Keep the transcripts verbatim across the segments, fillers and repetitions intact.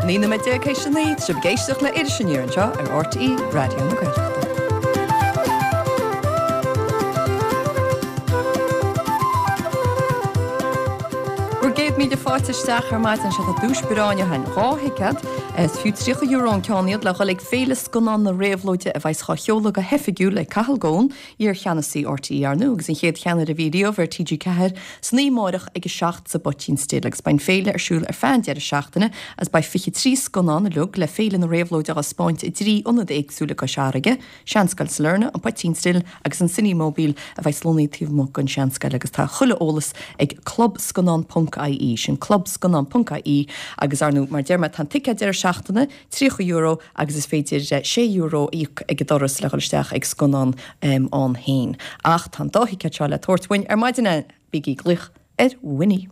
Naoi nóiméad déag théis a naoi, tá sibh ag éisteacht le Iris Aniar anseo ar RTÉ Raidió na Gaeltachta. Bhur gcéad míle fáilte isteach ar maidin seo tá duais breá againn dhá thicéad is fiú tríocha euro an ceann iad le dhul ag Féile Scannán na Réabhlóide a bheas á sheoladh go hoifigiúil ag Cathal Goan, iar-cheannasaí RTÉ ar ndóigh agus an chéad cheannaire a bhí riamh ar TG Ceathair san oíche amárach ag a seacht sa bPoitín Stil agus beidh an féile ar siúl ar feadh an deireadh seachtaine agus beidh fiche trí scannán uilig le Féile na Réabhlóide á spáint i dtrí ionad éagsúil i gCois Fharraige, Seanscoil Sailearna, an Poitín Stil agus an Cinemobile a bheidh lonnaithe taobh amuigh den Seanscoil agus tá chuile eolas ag clubscannán ponc IE sin clubscannán ponc IE agus ar ndóigh mar deir mé tá an ticéad deireadh seachtaine tríocha euro agus is féidir sé euro a íoc ag an doras le dhul isteach ag scannán um, ann féin. Ach tá an dá thicéad seo le tabhairt uainn ar maidin bígí ag glaoch ar Winnie.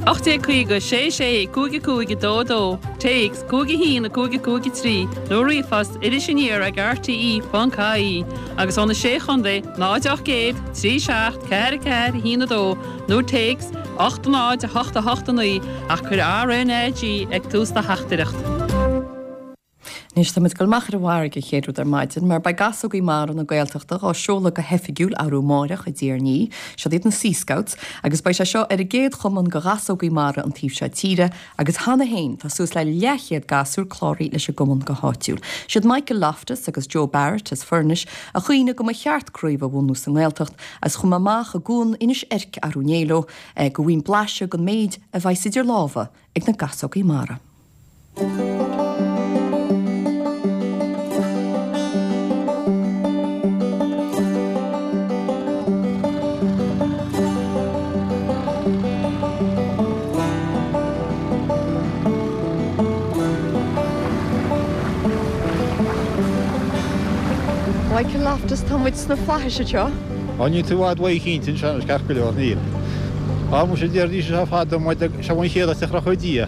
Ocht déag caoga sé sé cúig cúig dó dó, Téacs cúig haon cúig cúig trí nó ríomhphost iris aniar ag RTE ponc IE agus ó na sé chontae náid ocht gcéad trí seacht ceathair ceathair haon a dó nó téacs ocht náid a hocht a hocht a naoi ach cuir RNAG ag tús do theachtaireacht. Anois tá muid ag dul amach ar an bhfarraige an chéad rud ar maidin, mar beidh Gasógaí Mara na Gaeltachta á seoladh go hoifigiúil arú amárach i dTír an Fhia, siod iad na Sea Scouts, agus beidh sé seo ar an gcéad chumann go ghasógaí mara an taobh seo tíre, agus cheana féin tá suas le leathchéad gasúr cláraithe leis an gcumann go háitiúil. Siad Michael Loftus agus Joe Barrett as Foirnis a chuimhnigh go mba cheart craobh a bhunú sa nGaeltacht agus chuaigh mé amach i gcuan Inis Eirc arú inné leo go bhfaighinn blaiseadh den méid a bheas idir lámha ag na Gasógaí Mara. Michael Loftus tá muid sna flaithis anseo. Á níl tú i bhfad uaidh cinnte anseo anois ceart go leor, níl. Á muise deiridís seo fada muid seo an chéad áit a chrochadh Dia.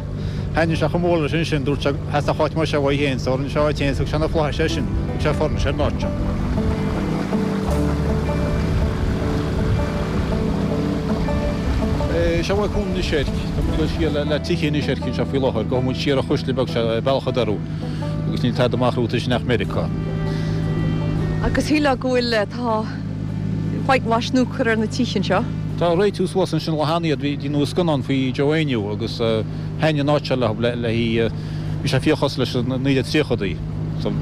Thaitnigh sé chomh mór leis ansin, dúirt sé theastódh áit mar seo uaidh féin, so rinne sé áit féin, thug sé na flaithis air sin, thug sé Foirnis ar an áit seo. Seo é Cuan Inis Eirc, tá muid ag dul siar le tithe Inis Eirc anseo faoi láthair, gabhfaidh muid siar an chuisle beag seo, Bealach an Dorú. Agus níl tada amach romhat ansin ach Meiriceá. Agus shílfeá go bhfuil, tá whitewash nua curtha ar na tithe anseo. Tá, réitíodh suas ansin lá cheana iad, bhí, deineadh scannán faoi Joe Éinniú agus thaitnigh an áit seo leo le, le hí, bhí sé fíor chosúil leis na naoi déag tríochadaí. So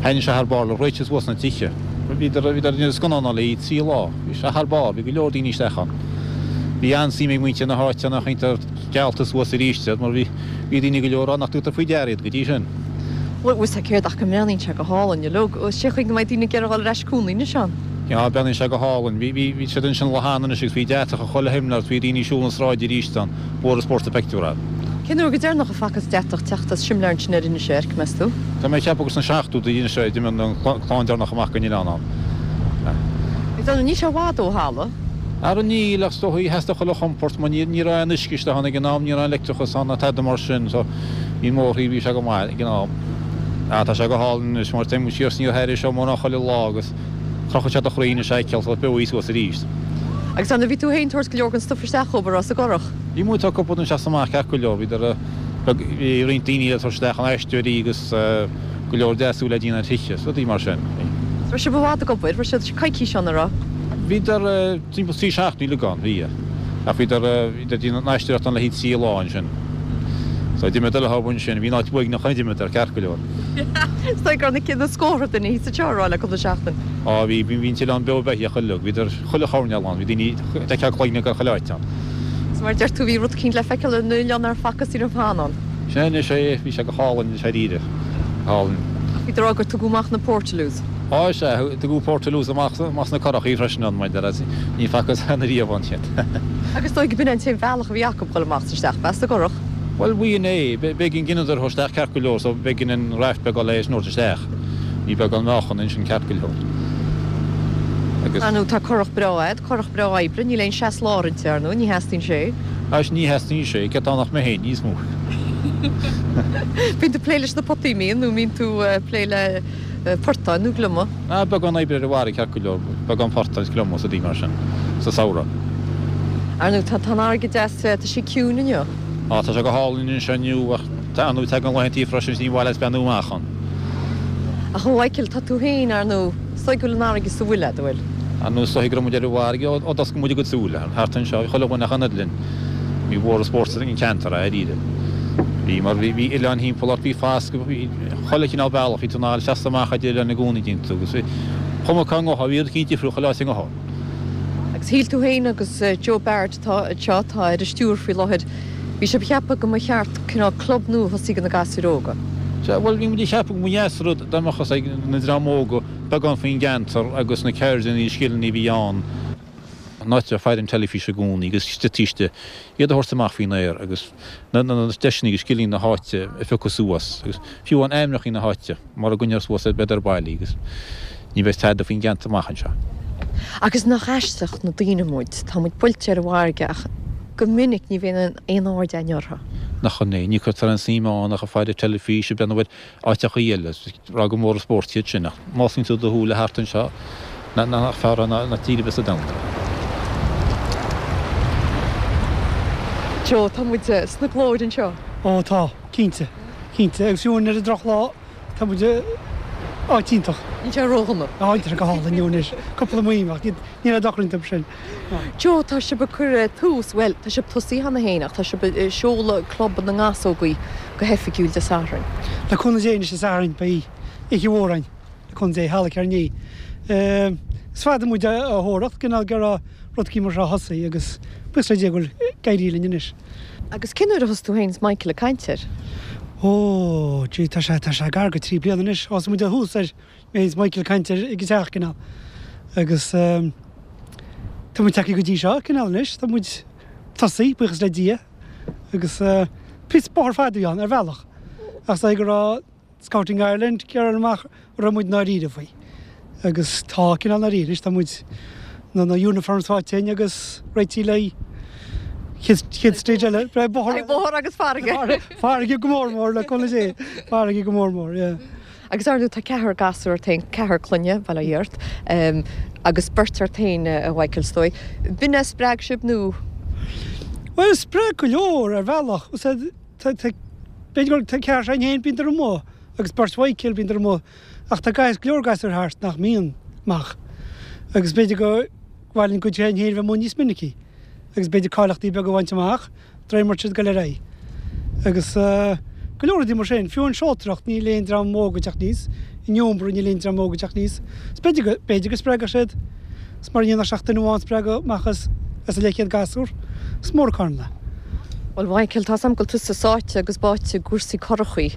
thaitnigh sé thar barr leo, réitíodh suas na tithe. Bhíodar, bhíodar ag déanamh scannán ann le hí trí lá. Bhí sé thar barr, bhí go leor daoine isteach ann. Bhí an-suim ag muintir na háite ann ach iontach geallta suas arís iad mar bhí, Bhí daoine go leor ann nach dtugtar faoi deara iad go dtí sin. Bhuel, bhfuil 's céard ach go mbreathnaíonn sé go hálainn uilig. Cén chaoi go mbeidh daoine ag iarraidh dhul ar ais cónaí anois ann. Yeah, breathnaíonn sé go hálainn. Bhí, bhí, bhí siad ansin lá cheana anois agus bhí deatach ag chuile shimléar agus bhí daoine ag siúl na sráide arís ann. Mhór an spórt an pictiúr ann. Cén uair go deireanach a facthas deatach teacht as simléar ansin ar Inis Eirc, meas tú? Tá mé ag ceapadh gur sna seachtóidí anois a d'imigh an clann deireanach amach den oileán ann. Níl sé i bhfad ó thalamh. Ara níl, ach is dóigh, theastaigh chuile chompóirt mar ní ní raibh aon uisce isteach ann ag an am, ní raibh aon leictreachas ann ná tada mar sin so bhí an bóthar bhí sé go maith ag an am. Ah tá sé go hálainn anois mar téann muid siar is aniar thairis seo mórán chuile lá agus crochadh sé do chroí anois a fheiceáil sórt beo suas arís. Agus ar ndóigh bhí tú féin ag tabhairt go leor den stuif isteach dhóibh a raibh sa gcurach? Bhí muid ag tabhairt cúpla isteach is amach ceart go leor, bhíodar beag, bhí roinnt daoine eile ag tabhairt isteach an aisteoirí agus go leor deasú le déanamh ar thithe, rudaí mar sin. Raibh sibh i bhfad ag obair, raibh siad coicís ann, an raibh? Bhíodar timpeall trí seachtaine uilig ann, bhí. Ach bhíodar, bhíodar ag déanamh an aisteoireacht ann le haghaidh trí lá ansin. So d'imíodar leo ansin, bhí an áit uaigneach nuair a d'imíodar, ceart go leor. Is dóigh go raibh na scórtha duine thíos anseo a rá le cúpla seachtain. Á bhí, bhí an t-oileán beo beithíoch uilig, bhíodar chuile choirnéal ann, bhí daoine, d'fheicfeá cloigne ar chuile áit ann. Is mar a deir tú, bhí rud eicínt le feiceáil ar an oileán nár facthas riamh cheana ann. Sin é anois é, bhí sé go hálainn anois dáiríre, go hálainn. Ach bhí tú ag rá gur tugadh amach na portaloos. Á sea, tugadh portaloos amach amach sna curachaí freisin ann, maidir le, ní facthas cheana riamh ann iad. Agus is dóigh go b'in an t-aon bhealach a bhí acu dhul amach is isteach, b'ea, sa gcurach? Bhuel, b'in é, b'éigean dhíonadar a thabhairt isteach ceart go leor, so b'éigean an raft beag a fháil leis an thabhairt isteach. Bhí beagán meáchan ansin ceart go leor. Agus. Ar ndóigh tá curach breá a'd, curach breá oibre, níl aon seas lár inti, ar ndóigh, ní theastaíonn sé. Anois ní theastaíonn sé, cé atá ann ach mé féin, níos mó. Bíonn tú ag plé leis na potaí, mbíonn, nó mbíonn tú ag plé le portáin nó gliomaigh? Ah, beagán oibre ar an bhfarraige ceart go leor, beagán portáin is gliomaigh is rudaí mar sin, sa samhradh. Ar ndóigh, tá an fharraige deas, tá sí ciúin inniu. Ah, tá sé go hálainn anseo inniu ach Tá nó tagann laethantaí freisin ní mhaith leat breathnú amach ann. Ach a Mhichael, tá tú féin, ar ndóigh, is dóigh go bhfuil an fharraige sa bhfuil agat, an bhfuil? Ar ndóigh, is dóigh go raibh muid ar an bhfarraige ó d'oscail muid ár gcuid súile, thart anseo, bhí chuile dhuine ach an oiread linn. Bhí mhór an spórt sa cheantar, dáiríre. Bhí, mar bhí, bhí oileáin thimpeall ort, bhí fascadh, bhí chuile chineál bealach, bhí tú in ann seasamh amach idir oileáin i gcónaí déanta agus bhí cuma cá ngabhfá, bhí rud eicínt difriúil chuile áit a ngabhfá. Agus shíl tú féin agus Joe Barrett atá anseo, atá ar an stiúir faoi láthair, bhí sibh ag ceapadh go mba cheart cineál club nua a thosaí do na gasúir óga. Sea, bhuel, bhí muid ag ceapadh go mba dheas an rud dá mbeadh fhios ag na dream óga beagán faoin gceantar agus na ceirdeanna, scileanna a bhí ann. An áit a raibh faire an teilifís i gcónaí agus taoiste, iad a thabhairt amach faoin aer agus na deiseanna agus scileanna na háite a phiocadh suas agus fiú amháin ainmneacha na háite mura gcoinneofar suas iad beidh ar baile agus ní bheidh tada faoin gceantar amach anseo. Agus nach aisteach na daoine muid, tá muid buailte ar an bhfarraige ach go minic ní bhíonn aon aird againn orthu. Nach in é, ní chuirtear aon suim ann ach ag faire teilifíse, ag breathnú ar áiteachaí eile, ag rá gur mór an spórt iad sin ach má osclaíonn tú do shúile thart anseo, nach fearr é ná tír ar bith sa domhan. Joe, tá muid sna glóir anseo. Ó tá, cinnte, cinnte. Agus fiú ar an drochlá, tá muid i áit iontach. Níl sé ródhona. Á, níl sé go hálainn inniu anois. Cúpla maidhm ach níl aon dochar iontu sin. Joe, tá sibh ag cur tús, bhuel, tá sibh tosaithe cheana féin ach tá sibh ag seoladh Club na nGasógaí go hoifigiúil Dé Sathairn. Le cúnamh Dé anois Dé Sathairn beidh oíche mhór againn, le cúnamh Dé, Halla Cearnaigh. Is fada muid á thóracht, cineál go raibh rud eicínt mar seo a thosaí agus buíochas le Dia go bhfuil ag éirí linn anois. Agus cén uair a thosaigh tú féin is Michael ag caint air? Ó, gee, tá sé, tá sé gar go trí bliana anois. Thosaigh muid ó thús air, mé is Michael ag caint air ag an teach, cineál. Agus tá muid tagtha go dtí seo, cineál anois, tá muid tosaithe, buíochas le Dia. Agus píosa bóthar fada a bhí ann, ar bhealach. Ach is dóigh go raibh Scouting Ireland ag iarraidh amach an raibh muid ndáiríre faoi. Agus tá cineál ndáiríre anois, tá muid, na na uniforms faighte againn agus réitithe le chéad chéad stage eile, bóthar. Bóthar agus farraige. Farraige go mór mór le cúnamh Dé, farraige go mór mór, yeah. Agus ar ndóigh tá ceathrar gasúr ort féin, ceathrar clainne, bail ó Dhia ort, agus beirt ort féin, a Mhichael, is dóigh. B'in é a spreag sibh nó? Bhuel, spreag go leor ar bhealach. Tá, tá, b'fhéidir go, tá ceathrar s'againn féin, bíonn amuigh, agus beirt Mhichael, bíonn amuigh, ach tá gas, go leor gasúir thart nach mbíonn amach. Agus b'fhéidir go mhaith linn cuid s'againn féin bheith amuigh níos minicí, agus b'fhéidir cáilíochtaí beaga a bhaint amach, de réir mar siad ag dul ar aghaidh. Agus go leor rudaí mar sin. Fiú an seoltóireacht, níl aon dream óg ag teacht aníos, in iompar níl aon dream óg ag teacht aníos. Is b'fhéidir go, b'fhéidir go spreagfadh siad, is mura ndéanfadh sé ach duine amháin a spreagadh amach as, as a leathchéad gasúr, is mór an carn é. Bhuel, Mhichael, tá's a'm go bhfuil tusa sáite agus báite i gcúrsaí curachaí.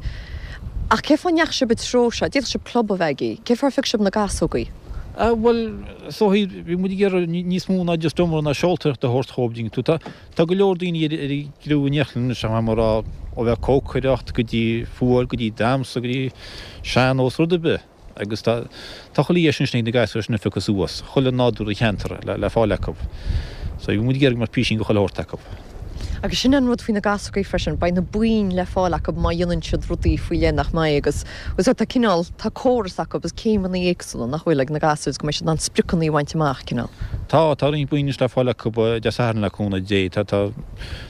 Ach cé fáth a ndeachaigh sibh an treo seo? D'fhéadfadh sibh club a bheith agaibh. Cé fáth ar phioc sibh na gasógaí? Ah, bhuel, is dóigh, bhí muid ag iarraidh níos mó ná just iomramh ná seoltóireacht a thabhairt dhóibh, dtuigeann tú. Tá, tá go leor daoine ar, ar an gcriú in Neachtain anois, tá mar a rá, ó bheith cócaireacht go dtí fuáil, go dtí damhsa, go dtí sean-nós, rud ar bith. Agus tá tá chuile dheis ansin ag na gasúir sin a phiocadh suas, chuile nádúr an cheantair le le fáil acu. So bhí muid ag iarraidh go mbeadh písín de chuile shórt acu. Agus sin an rud faoi na gasógaí freisin, beidh na boinn le fáil acu má dhéanann siad rudaí faoi leith nach mbeidh agus agus tá cineál, tá córas acu agus céimeanna éagsúla nach bhfuil ag na gasúir agus go mbeidh siad in ann spriocanna a bhaint amach, cineál. Tá, tá roinnt boinn anois le fáil acu Dé Sathairn le cúnamh Dé. Tá, tá,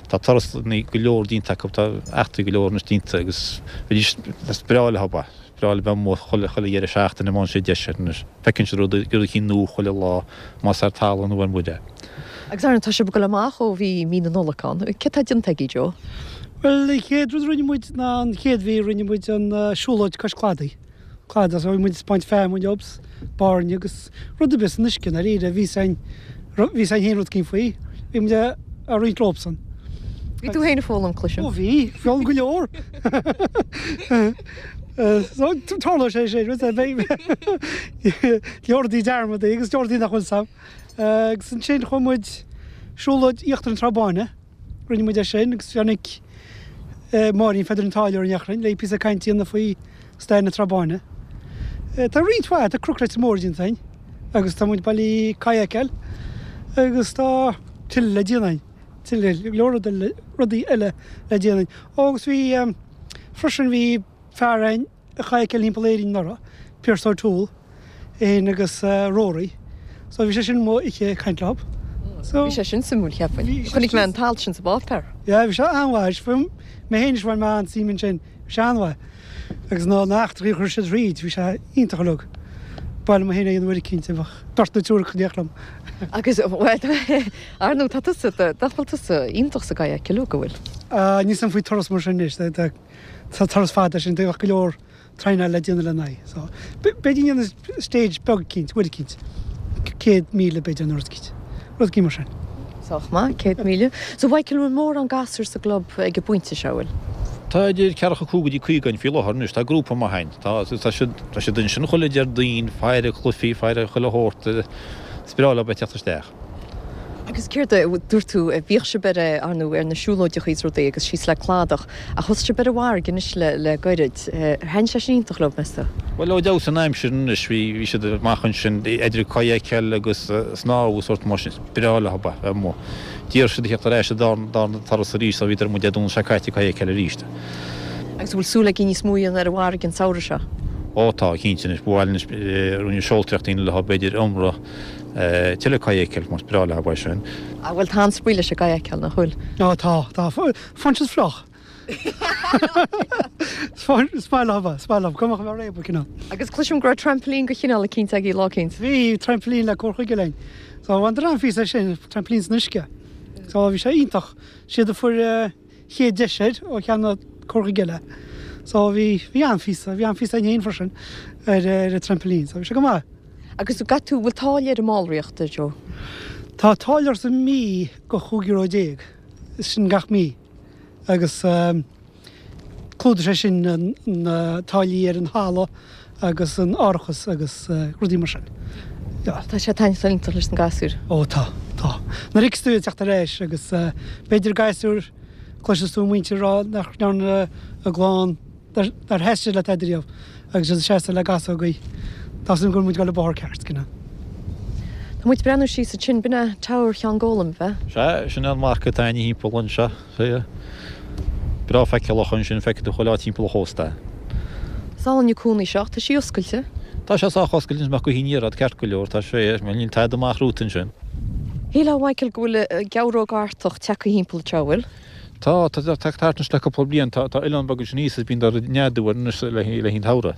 tá turasanna go leor déanta acu, tá eachtraí go leor anois déanta agus bheidís, is breá leo é. Breá leo bheith amuigh chuile chuile dheireadh seachtaine má fhaigheann siad deis air anois. Feiceann siad rud rud eicínt nua chuile lá, más ar talamh nó ar muir é. Agus ar ndóigh, tá sibh ag dul amach ó bhí mí na Nollag ann. Céard tá déanta agaibh, Joe? Bhuel, an chéad rud a rinne muid ná an chéad mhí rinne muid an siúlóid cois cladaigh. Cladaigh, so bhí muid ag baint feamainn leobs, bairnigh agus rud ar bith san uisce, i ndáiríre. Bhí 's againn, bhí 's againn féin rud eicínt faoi. Bhí muid ag roinnt leobsan. Bhí tú féin ag foghlaim, cloisim. Ó bhí, foghlaim go leor. So tarlóidh sé sin, beidh leor rudaí dearmadaí agus leor rudaí nach bhfuil 's a'm. Agus ansin chuaigh muid siúlóid Íochtar na Trá Báine, rinne muid é sin agus tháinig Máirín Pheadair an Táilliúir in Eachroinn le píosa cainte a dhéanamh faoi stair na Trá Báine. Tá roinnt mhaith, tá Cnoc Leitir Móir déanta againn agus tá muid bailí kayakáil agus tá tuilleadh le déanamh againn, tuilleadh, go leor rudaí eile le déanamh againn. Ó agus bhí, freisin bhí fear againn a chayakáil thimpeall Éirinn anuraidh, Pearse O'Toole, é féin agus Rory. So bhí sé sin amuigh oíche ag caint leo. So, Bhí sé sin suimiúil cheapfainn. Bhí sé Chonaic mé sin- an t-alt sin sa bpáipéar. Yeah, bhí sé an-mhaith, mé féin is bhain mé an-suim ansin, bhí sé an-mhaith. Agus ná na heachtraí a chuir siad thríd, bhí sé iontach uilig. B'áil liom mé féin a dhéanamh uair eicínt, bheadh beirt nó triúr ag tíocht liom. Agus ar ndóigh tá tusa nach bhfuil tusa iontach sa gcadhc go bhfuil. Uh, Níl san faoi turas mar sin anois, tá tá turas fada sin, bheadh go leor traenáil le déanamh lena aghaidh. So, b'fhéidir dhéanamh stage beag eicínt, uair eicínt. Céad míle b'fhéidir nó rud eicínt. Rud eicínt mar sin. Sách maith, céad míle. So Mhichael bhfuil mórán gasúr sa gclub ag an bpointe seo bhfuil. Tá idir ceathracha cúig go dtí caoga ann faoi láthair anois, tá grúpa maith ann. Tá tá siad tá siad ansin chuile Déardaoin, faire cluichí, faire chuile shórt, is breá leo bheith teacht isteach. Agus céard a dúirt tú bhíodh sibh ar ar ndóigh ar na siúlóideacha is rudaí agus síos le cladach ach thosaigh sibh ar an bhfarraige anois le le gairid. Thaitin sé sin iontach leo meas tú? Bhuel ó d'fheabhsaigh an aimsir anois bhí bhí siad amach ansin idir kayakáil agus snámh agus sórt mar sin, is breá leo bheith amuigh. D'iarr siad a theacht ar ais an darna turas arís so bhíodar amuigh Dé Domhnaigh seo caite ag kayakáil arís. Agus bhfuil súil agaibh níos mó a dhéanamh ar an bhfarraige an samhradh seo? Ó tá cinnte anois ba mhaith linn anois rinne seoltóireacht leo b'fhéidir iomramh tuilleadh kayakáil mar is breá leo é sin. A bhfuil tá an-spraoi leis an gkayakáil nach bhfuil? Á tá, tá, faigheann siad fliuch. Is maith leo, is maith leo, cuma go raibh réabadh cineál. Agus cloisim go raibh trampoline de chineál eicínt agaibh lá eicínt. Bhí trampoline le cur chuige linn. So bhaineadar an-phíosa sin, trampoline san uisce. So bhí sé iontach. Siad a fuair chéad deis air ó cheann cur chuige eile. So bhí bhí an-phíosa, bhí an-phíosa againn freisin ar ar an trampoline, so bhí sé go maith. Agus gach tú bhfuil táille ar an mballraíocht Joe? Tá táille sa mí go chúig euro déag, is sin gach mí. Agus um, clúdaíonn sé sin na táillí ar an halla agus an árachas agus uh, rudaí mar sin. Ja. Tá sé taitneamhach iontach leis na gasúir. Ó tá, tá. Nuair a fheiceas tú teacht ar ais agus uh, b'fhéidir gasúr cloiseann tú muintir rá nach ndearna a gclann dar sheas le tada riamh agus siad seasta le gasógaí. Tá sin go muid go le bóthar ceart cinna. Tá muid breathnú síos ansin b'in é Tower Sheán Gólam bheith. Sea, sin an marc atá againn thimpeall anseo. Sea. Breá feiceálach ansin feicfidh tú chuile áit timpeall an chósta. Is álainn an cónaí seo, tá sí oscailte. Tá sé sách oscailte amach go híar ceart go leor, tá sé níl tada amach romhat ansin. Shílfeá Michael go bhfuil geabhróg Artach tagtha thimpeall anseo bhfuil. Tá tá tá thart le cúpla bliain tá tá oileán beag sin thíos is bíonn ag neadú anois le le an samhradh.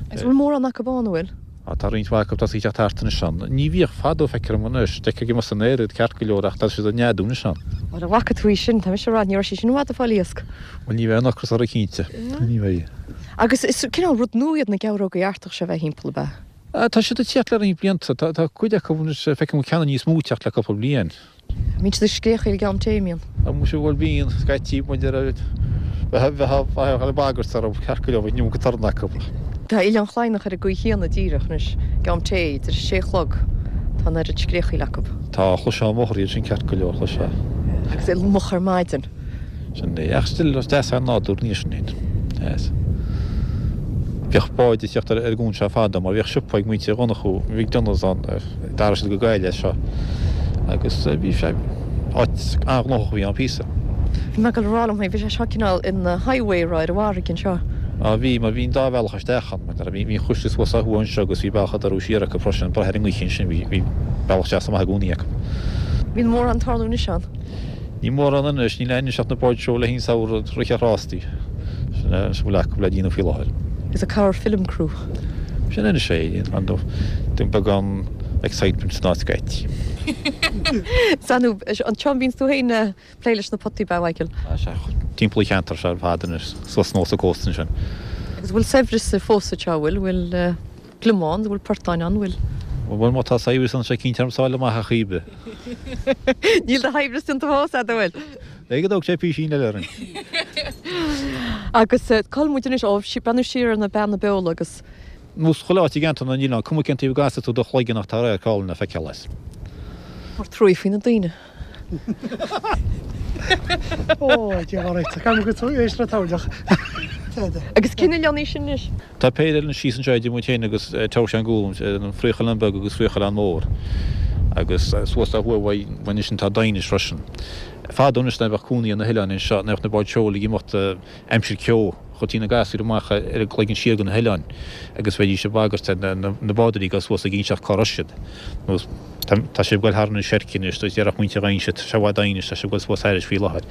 Agus bhfuil mórán acu ann bhfuil? Á tá roinnt mhaith acu tá siad teacht thart anois ann. Ní bhíodh fadó feictear dom anois, d'fheicfeá amuigh san aer iad ceart go leor ach tá siad ag neadú anois ann. Mar a bhfaca tú í sin, tá mise ag rá ní raibh sí sin i bhfad ag fáil iasc. Bhuel ní bheidh an ocras uirthi cinnte. Ní bheidh. Agus is cineál rud nua iad na geabhrógaí Artach seo bheith thimpeall ab ea? Tá siad ag teacht le roinnt blianta, tá tá cuid acu anois feicim ceanna níos mó ag teacht le cúpla bliain. Bíonn siad ag scréachaíl ag am tae, mbíonn? Tá muise bhuel bíonn, scaití muid ar bheith bheith ag bagairt orthu ceart go leor bheith iomarca torann acu. Tá Oileán Chladhnach ar an gcaoi chéanna díreach anois, ag am tae, idir a sé a chlog, tá an oiread scréachaíl acu. Tá, chloisfeá an bóthar iad sin ceart go leor, chloisfeá. Agus é moch ar maidin. Sin é, ach still is deas é an nádúr ní sin féin. Yes. Bhíodh báid ag teacht ar an gcuan seo fadó mar bhíodh siopa ag muintir Dhonnchú, bhí Dunnes ann, d'athraigh siad go Gaeil é seo. Agus bhí sé áit an-ghnóthach a bhí ann píosa. Bhí mé ag dul a rá liom féin, bhí sé seo cineál ina highway ar an bhfarraige anseo. Á bhí, mar bhí an dá bhealach isteach ann, mar bhí bhí an chuisle suas ó thuaidh anseo agus bhí bealach ag dul siar acu freisin, brath ar an ngaoth ansin, bhí bhí bealach deas amach i gcónaí acu. Bíonn mórán ag tarlú anois ann? Ní mórán anois, níl aon anois ach na báid seo le haghaidh an samhradh, rith ar rástaí. Sin é, sin a bhfuil acu le déanamh faoi láthair. Is a cabhair film crew. Sin anois é, an beagán excitement san áit scaití. Sanu, an tsean bhíonn tú féin plé leis na potaí ba Michael? Timpeall an cheantair seo ar fad anois, suas anuas an cósta ansin. Agus bhfuil saibhreas fós anseo, bhfuil bhfuil gliomán, bhfuil portáin ann, bhfuil? Bhuel má tá saibhreas ann sé cinnte orm sáil amach a chaoibe. Níl do shaibhreas déanta fós, a bhfuil? Ag go dtóg sé písín eile orainn. Agus cá bhfuil muid anois ó breathnú siar ar na Beanna Beola agus. Nós chuile áit i gceantar na n-oileán, cuma cén taobh a gcasfaidh tú do chloigeann ach tá radharc álainn le feiceáil as. Mar trua faoi na daoine. Ó, Dia ár réiteach, gan go tú éist le tabharlach. Agus cén oileán í sin anois? Tá péire eile síos anseo idir muid féin agus Tower Sheáin Gólaim, an Fraoch-Oileán Beag agus Fraoch-Oileán Mór. Agus suas ó thuaidh uaidh anois tá Daighinis freisin. Fadó anois nuair a bheadh cónaí ar na hoileáin anseo, nuair a bheadh na báid seoil ag imeacht aimsir ceo, chuirtí na gasúir amach ar a gcloigeann siar go na hoileáin agus bheidís ag bagairt ar na bádóirí ag dul suas ag inseacht cá raibh siad. Nó Tá sibh ag goil thar na seircíní anois, déarfadh muintir Ghainse, tá sé i bhfad anois, tá sibh ag goil suas thairis faoi láthair.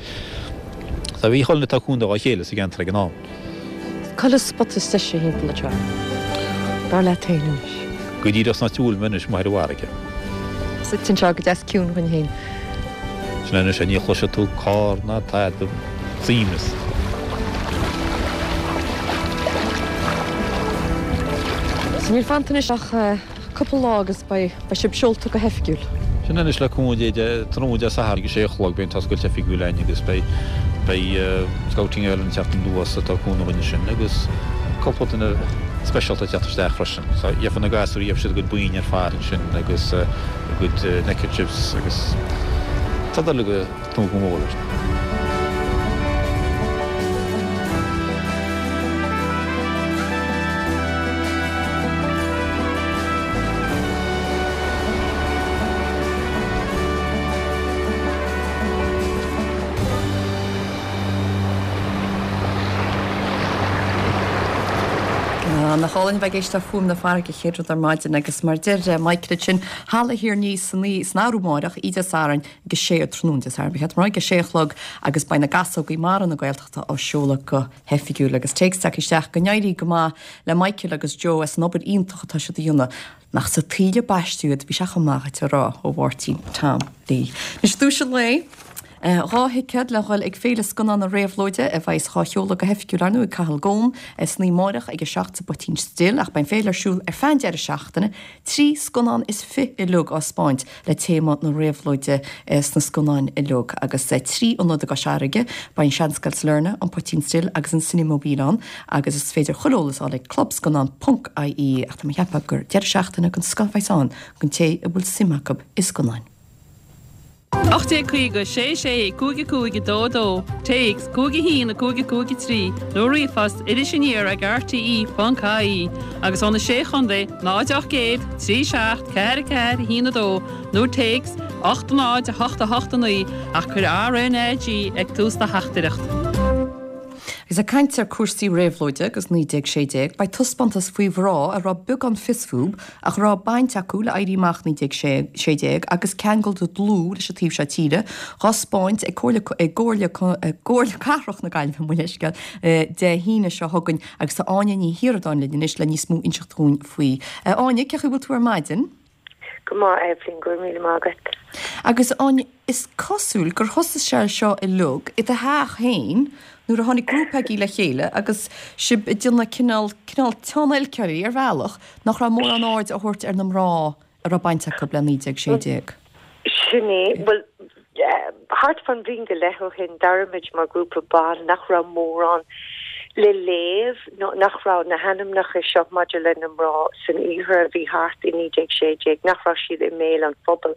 So bhí chuile dhuine ag tabhairt cúnamh dá chéile sa gceantar ag an am. Cá bhfuil an spota is deise thimpeall anseo, dar leat féin anois? Go díreach sna túil anois amuigh ar an bhfarraige. Suite anseo go deas ciúin dhúinn féin. Sin anois é, ní chloisfidh tú carr ná tada, suaimhneas. So níl fanta anois ach cúpla lá agus beidh sibh seolta go hoifigiúil. Sin anois le cúnamh Dé tráthnóna Dé Sathairn ag a sé a chlog beidh an t-oscailt oifigiúil againn agus beidh beidh Scouting Ireland ag teacht anuas ag tabhairt cúnamh dhúinn ansin agus cúpla duine speisialta ag teacht isteach freisin. So gheobhaidh na gasúir gheobhaidh siad a gcuid boinn ar fad ansin agus a gcuid neckerchiefs agus tá dul go tnúth go mór leis. Nach álainn a bheith ag éisteacht le fuaim na farraige chéad rud ar maidin agus mar deir Michael ansin, Halla Thír an Fhia san san Arú amárach, oíche Dé Sathairn ag a sé tráthnóna Dé Sathairn, ba cheart dom a rá, ag a sé a chlog agus beidh na Gasógaí Mara na Gaeltachta á seoladh go hoifigiúil agus téacs tagtha isteach go n-éirí go maith le Michael agus Joe as an obair iontach atá siad a dhéanamh. Nach sa tsaoil a baisteadh iad, bhí sé chomh maith dhuit a rá ó Mháirtín Tom Lee. Anois duais an lae, Dhá thicéad le dhul ag Féile Scannán na Réabhlóide a bheas á sheoladh go hoifigiúil ar ndóigh ag Cathal Goan san oíche amárach ag a seacht sa bPoitín Stil ach beidh an féile ar siúl ar feadh an deireadh seachtaine, trí scannán is fiche uilig á 'spáint le téama na réabhlóide sna scannáin uilig agus trí ionad i gCois Fharraige, beidh an Seanscoil Sailearna, an Poitín Stil agus an Cinemobile ann agus is féidir chuile eolas a fháil ag clubscannán ponc ie ach tá mé ag ceapadh gur deireadh seachtaine den scoth a bheas ann don té a bhfuil suim acu i scannáin. ocht déag caoga sé sé cúig a cúig a dó a dó, téacs cúig a haon a cúig a cúig a trí nó ríomhphost iris aniar ag rte ponc ie agus ó na Sé Chontae náid ocht gcéad trí seacht ceathair a ceathair a haon a dó nó téacs ocht náid a hocht a hocht a naoi ach cuir RNAG ag tús do theachtaireacht. Agus ag caint ar cúrsaí réabhlóide agus naoi déag sé déag, beidh taispeántas faoi mhná a raibh beagán fios fúb ach a raibh baint acu le Éirí Amach naoi déag sé déag agus ceangal dlúth leis an taobh seo tíre, dhá 'spáint ag Comhairle ag gComhairle gComhairle Cathrach na Gaillimhe, mo leithscéal, Dé hAoine seo chugainn agus tá Áine Ní Shioradáin linn anois le níos mó inseacht dhúinn faoi. Áine, cén chaoi a bhfuil tú ar maidin? Go maith, Eibhlín, go raibh míle maith agat. Agus Áine, is cosúil gur thosaigh sé seo uilig i do theach féin nuair a tháinig grúpa agaibh le chéile agus sibh ag déanamh cineál, cineál tionlacan ar bhealach nach raibh mórán aird á thabhairt ar na mná a raibh baint acu le naoi déag sé déag. Sin é. Bhuel, thart fán bhliain go leith ó shin, d'airigh muid mar ghrúpa ban nach raibh mórán le léamh nó nach raibh na hainmneacha seo maidir le na mná san iarthar a bhí thart i naoi déag sé déag, nach raibh siad i mbéal an phobail.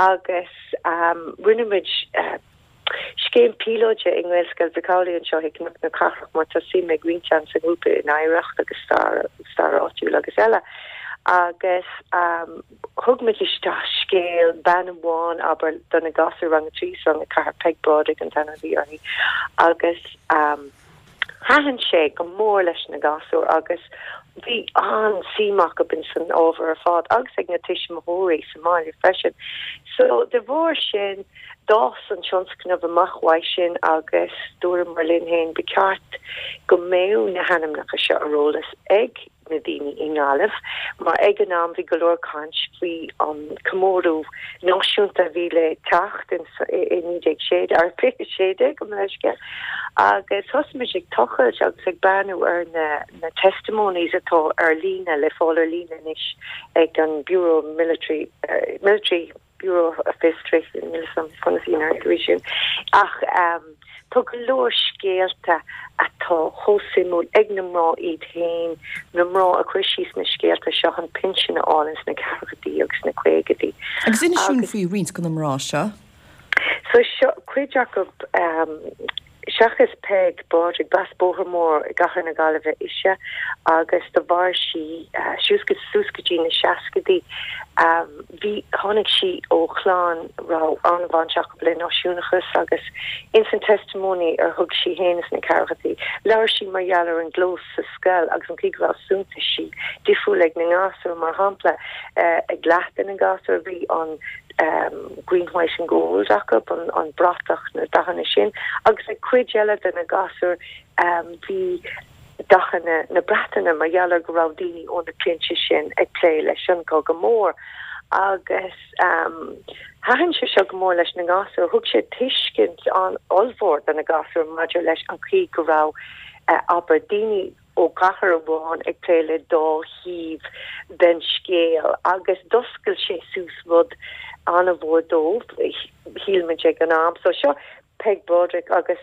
Agus rinne muid scéim píolóide i nGaelscoil Mhic Amhlaigh anseo i gCnoc na Cathrach mar tá suim ag roinnt ann sa ngrúpa in oidhreacht agus stair, stair áitiúil agus eile. Agus thug muid isteach scéal bean amháin, abair, do na gasúir rang a trí is rang a ceathair, Peig Brádaigh an t-ainm a bhí uirthi, agus thaitin sé go mór leis na gasúir agus bhí an-suim acu in san ábhar ar fad agus ag na tuismitheoirí sa mbaile freisin. So de bharr sin d'fhás an tionscnamh amach uaidh sin agus dúramar linn féin ba cheart go mbeadh na hainmneacha seo ar eolas ag na daoine i nGaillimh mar ag an am bhí go leor caint faoi an comóradh náisiúnta a bhí le teacht in i naoi déag sé ar fiche sé déag gabh mo leithscéal agus thosaigh muid ag tochailt agus ag breathnú ar na na testimonies atá ar líne le fáil ar líne anois ag an Bureau Military Military Bureau of History níl a fhios agam conas í an arís sin ach tá go leor scéalta atá chomh suimiúil ag na mná iad féin, na mná a chuir síos na scéalta seo chun pinsean a fháil ins na ceathrachaidí agus na caogaidí. Agus inis dúinn faoi roinnt de na mná seo. So seo cuid acu seachas Peig Broderick, b'as Bóthar Mór i gCathair na Gaillimhe ise agus do mhair sí suas go suas go dtí na seascaidí. Bhí, tháinig sí ó chlann a raibh an-bhaint acu le náisiúnachas agus ins an testimony ar thug sí fhéin sna ceathrachaidí, labhair sí mar gheall ar an gclós sa scoil agus an chaoi go raibh suntaisí difriúil ag na ngasúir, mar shampla ag leath de na gasúir bhí an green, white and gold acu, an bratach, na dathanna sin, agus ag cuid eile de na gasúir bhí dathanna na Breataine mar gheall ar go raibh daoine ó na clainne sin ag plé leis an gCogadh Mór agus thaitin sé seo go mór leis na gasúir. Thug sé tuiscint an-ollmhór do na gasúir maidir leis an chaoi go raibh, abair, daoine ó gcathair amháin ag plé le dá thaobh den scéal agus d'oscail sé suas rud an-mhór dóibh, shíl muid ag an am. So seo Peg Broderick agus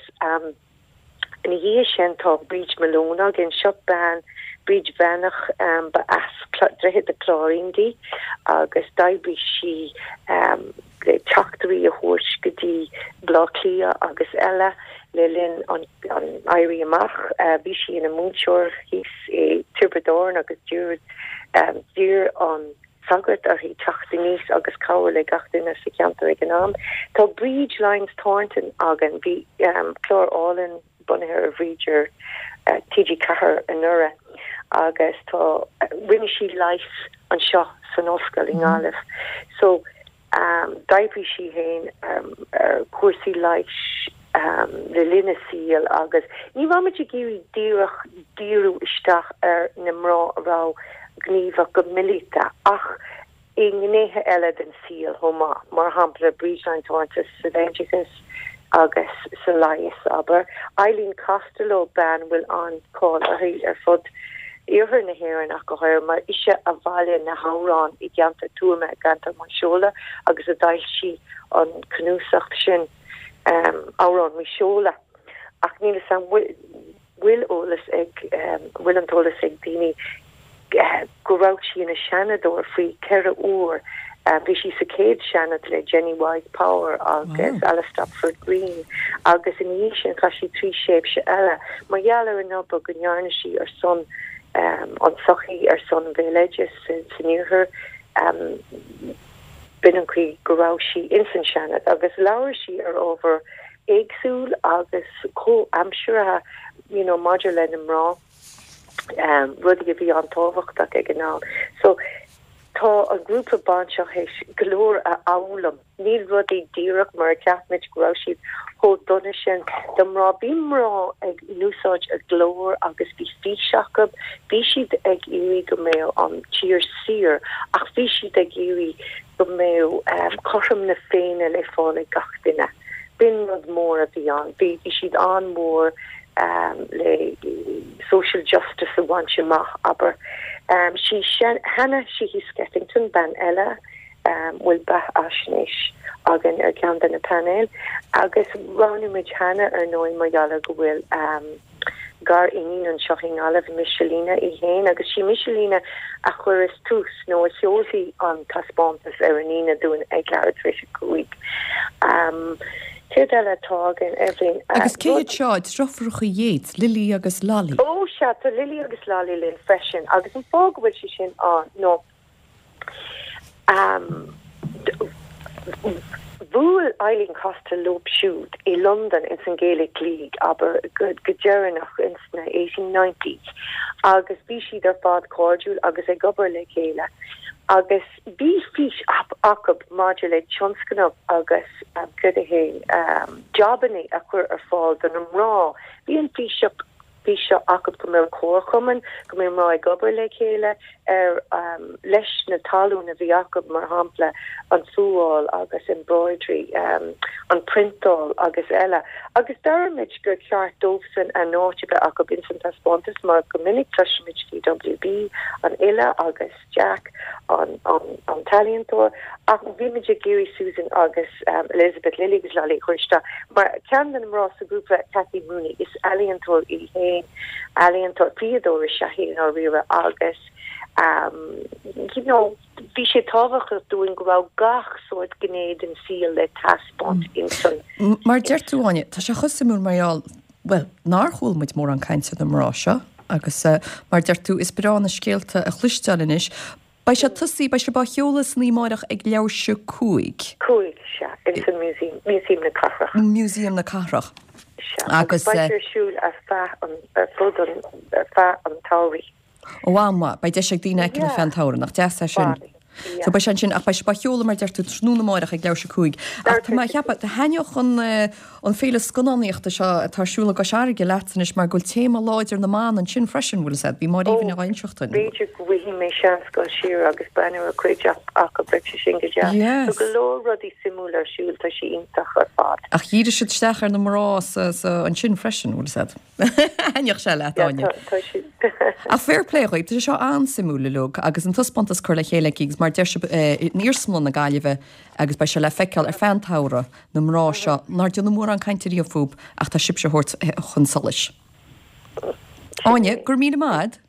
ina dhiaidh sin tá Bríd Malone againn. Seo bean, Bríd Bhreathnach, ba as Droichead a' Chláirín di agus d'oibrigh sí le teachtairí a thabhairt go dtí Baile Átha Cliath agus eile le linn an Éirí Amach. Bhí sí ina múinteoir thíos i dTiobraid Árann agus d'iarr an sagart uirthi teacht aníos agus cabhrú le gach duine sa cheantar ag an am. Tá Bríd Lyons Thornton againn. Bhí clár álainn bunaithe ar Bhríd ar T G ceathair anuraidh agus tá, rinne sí leigheas anseo san ollscoil i nGaillimh. So d'oibrigh sí féin ar chúrsaí leighis le linn a saoil agus ní raibh muid ag iarraidh díreach díriú isteach ar na mná a raibh gníomhach go míleata ach i ngnéithe eile den saol chomh maith, mar shampla Bríd Lyons Thornton san oideachas agus sa leigheas, abair. Eileen Costello, bean a bhfuil an-cháil uirthi ar fud iarthar na hÉireann ach go háirithe, mar ise a bhailigh na hamhráin i gceantar Tuama, i gceantar Mhaigh Seola agus a d'fhoilsigh an cnuasach sin, Amhráin Mhaigh Seola. Ach níl a fhios agam bhfuil eolas ag, bhfuil an t-eolas ag daoine go raibh sí ina Seanadóir faoi cheithre huair. Bhí sí sa chéad Seanad le Jennie Wyse Power agus Alice Stopford Green agus ina dhiaidh sin chaith sí trí thréimhse eile mar gheall ar an obair go ndearna sí ar son an tsochaí, ar son an bhéaloidis san iarthar. B'in an chaoi go raibh sí ins an Seanad agus labhair sí ar ábhar éagsúil agus comhaimseartha you know maidir le na mná, rudaí a bhí an-tábhachtach ag an am. So tá an grúpa ban seo théis go leor a fhoghlaim. Níl rudaí díreach mar a cheap muid go raibh siad chomh dona sin do mná. Bhí mná ag úsáid a nglór agus bhí fís acu, bhí siad ag iarraidh go mbeadh an tír saor ach bhí siad ag iarraidh go mbeadh cothrom na Féinne le fáil ag gach duine. B'in rud mór a bhí ann. Bhí siad an-mhór le social justice a bhaint amach, abair. Sí Hanna Sheehy Skeffington, bean eile, bhfuil beathaisnéis againn ar cheann de na painéil, agus roghnaigh muid Hannah ar ndóigh mar gheall ar go bhfuil gar-iníon anseo i nGaillimh, Michelina í féin, agus sí Michelina a chuireas tús nó a sheolfaidh an taispeántas ar an Aoine dúinn ag leathuair tar éis a cúig. Céard eile atá againn, Eibhlín? Agus cé hiad seo, deirfiúracha Yeats, Lily agus Lolly? Ó sea, tá Lily agus Lolly linn freisin, agus an fáth go bhfuil sé sin ann ná bhuail Eileen Costello leo siúd i Londain ins an Gaelic League, abair, go deireanach ins na eighteen nineties agus bhí siad ar fad cairdiúil agus ag obair le chéile agus bhí fís acu maidir le tionscnamh agus céard é jabanna a chur ar fáil do na mná. Bhí an fís fís seo acu go mbeadh comharchumann, go mbeadh mná ag obair le chéile ar leis na tallann a bhí acu, mar shampla an fuáil agus embroidery, an priontáil agus eile. Agus d'airigh muid gur cheart dóibhsean a n-áit a bheith acu ins an taispeántas mar go minic cloisimid faoi W B an fhile agus Jack an an t-ealaíontóir ach bhí muid ag iarraidh Susan agus Elizabeth, Lily agus Lolly a chur isteach mar ceann de na mná sa ghrúpa, Cathy Mooney, is ealaíontóir í féin, ealaíontóir, fíodóir is ea í i ndáiríre agus you know bhí sé tábhachtach dúinn go raibh gach sórt gné den saol le taispeáint ins an. Mar deir tú Áine, tá sé chomh suimiúil mar gheall, bhuel, nár chuala muid mórán cainte ar na mná seo agus mar deir tú is breá na scéalta a chloisteáil anois. Beidh sé tosaí beidh sé á sheoladh san oíche amárach ag leathuair tar éis a cúig. Cúig sea in san museum Museum na Cathrach. Museum na Cathrach. Agus beidh ar siúl ar feadh an ar fud an ar feadh an tsamhraidh. Ó an-mhaith, beidh deis ag daoine é a fheiceáil ar feadh an tsamhraidh, nach deas é sin. So beidh sé ansin ach beidh sé á sheoladh mar deir tú tráthnóna amárach ag leathuair tar éis a cúig. Ach tá mé ag ceapadh thaitneodh an an féile scannánaíochta seo atá ar siúl i gCois Fharraige leat anois mar go bhfuil téama láidir na mban ansin freisin bhfuil a fhios agat, bhí Máire Aoibhinn á inseacht dúinn. B'fhéidir go bhfaighidh mé seans dul siar agus breathnú ar cuid acu beidh sé sin go deas. Yes. Tá go leor rudaí suimiúil ar siúl tá sé iontach ar fad. Ach dhírigh siad isteach ar na mná sa, sa, ansin freisin bhfuil a fhios agat. Thaitneodh sé leat Áine. Ach fair play dhaoibh, tá sé seo an-suimiúil uilig agus an taispeántas curtha le chéile aici agus mar deir sibh in Iarsmalann na Gaillimhe agus beidh sé le feiceáil ar feadh an tsamhraidh na mná seo nár déanadh mórán cainte riamh fúthu ach tá sibhse á thabhairt chun solais. Áine, go raibh míle maith agat.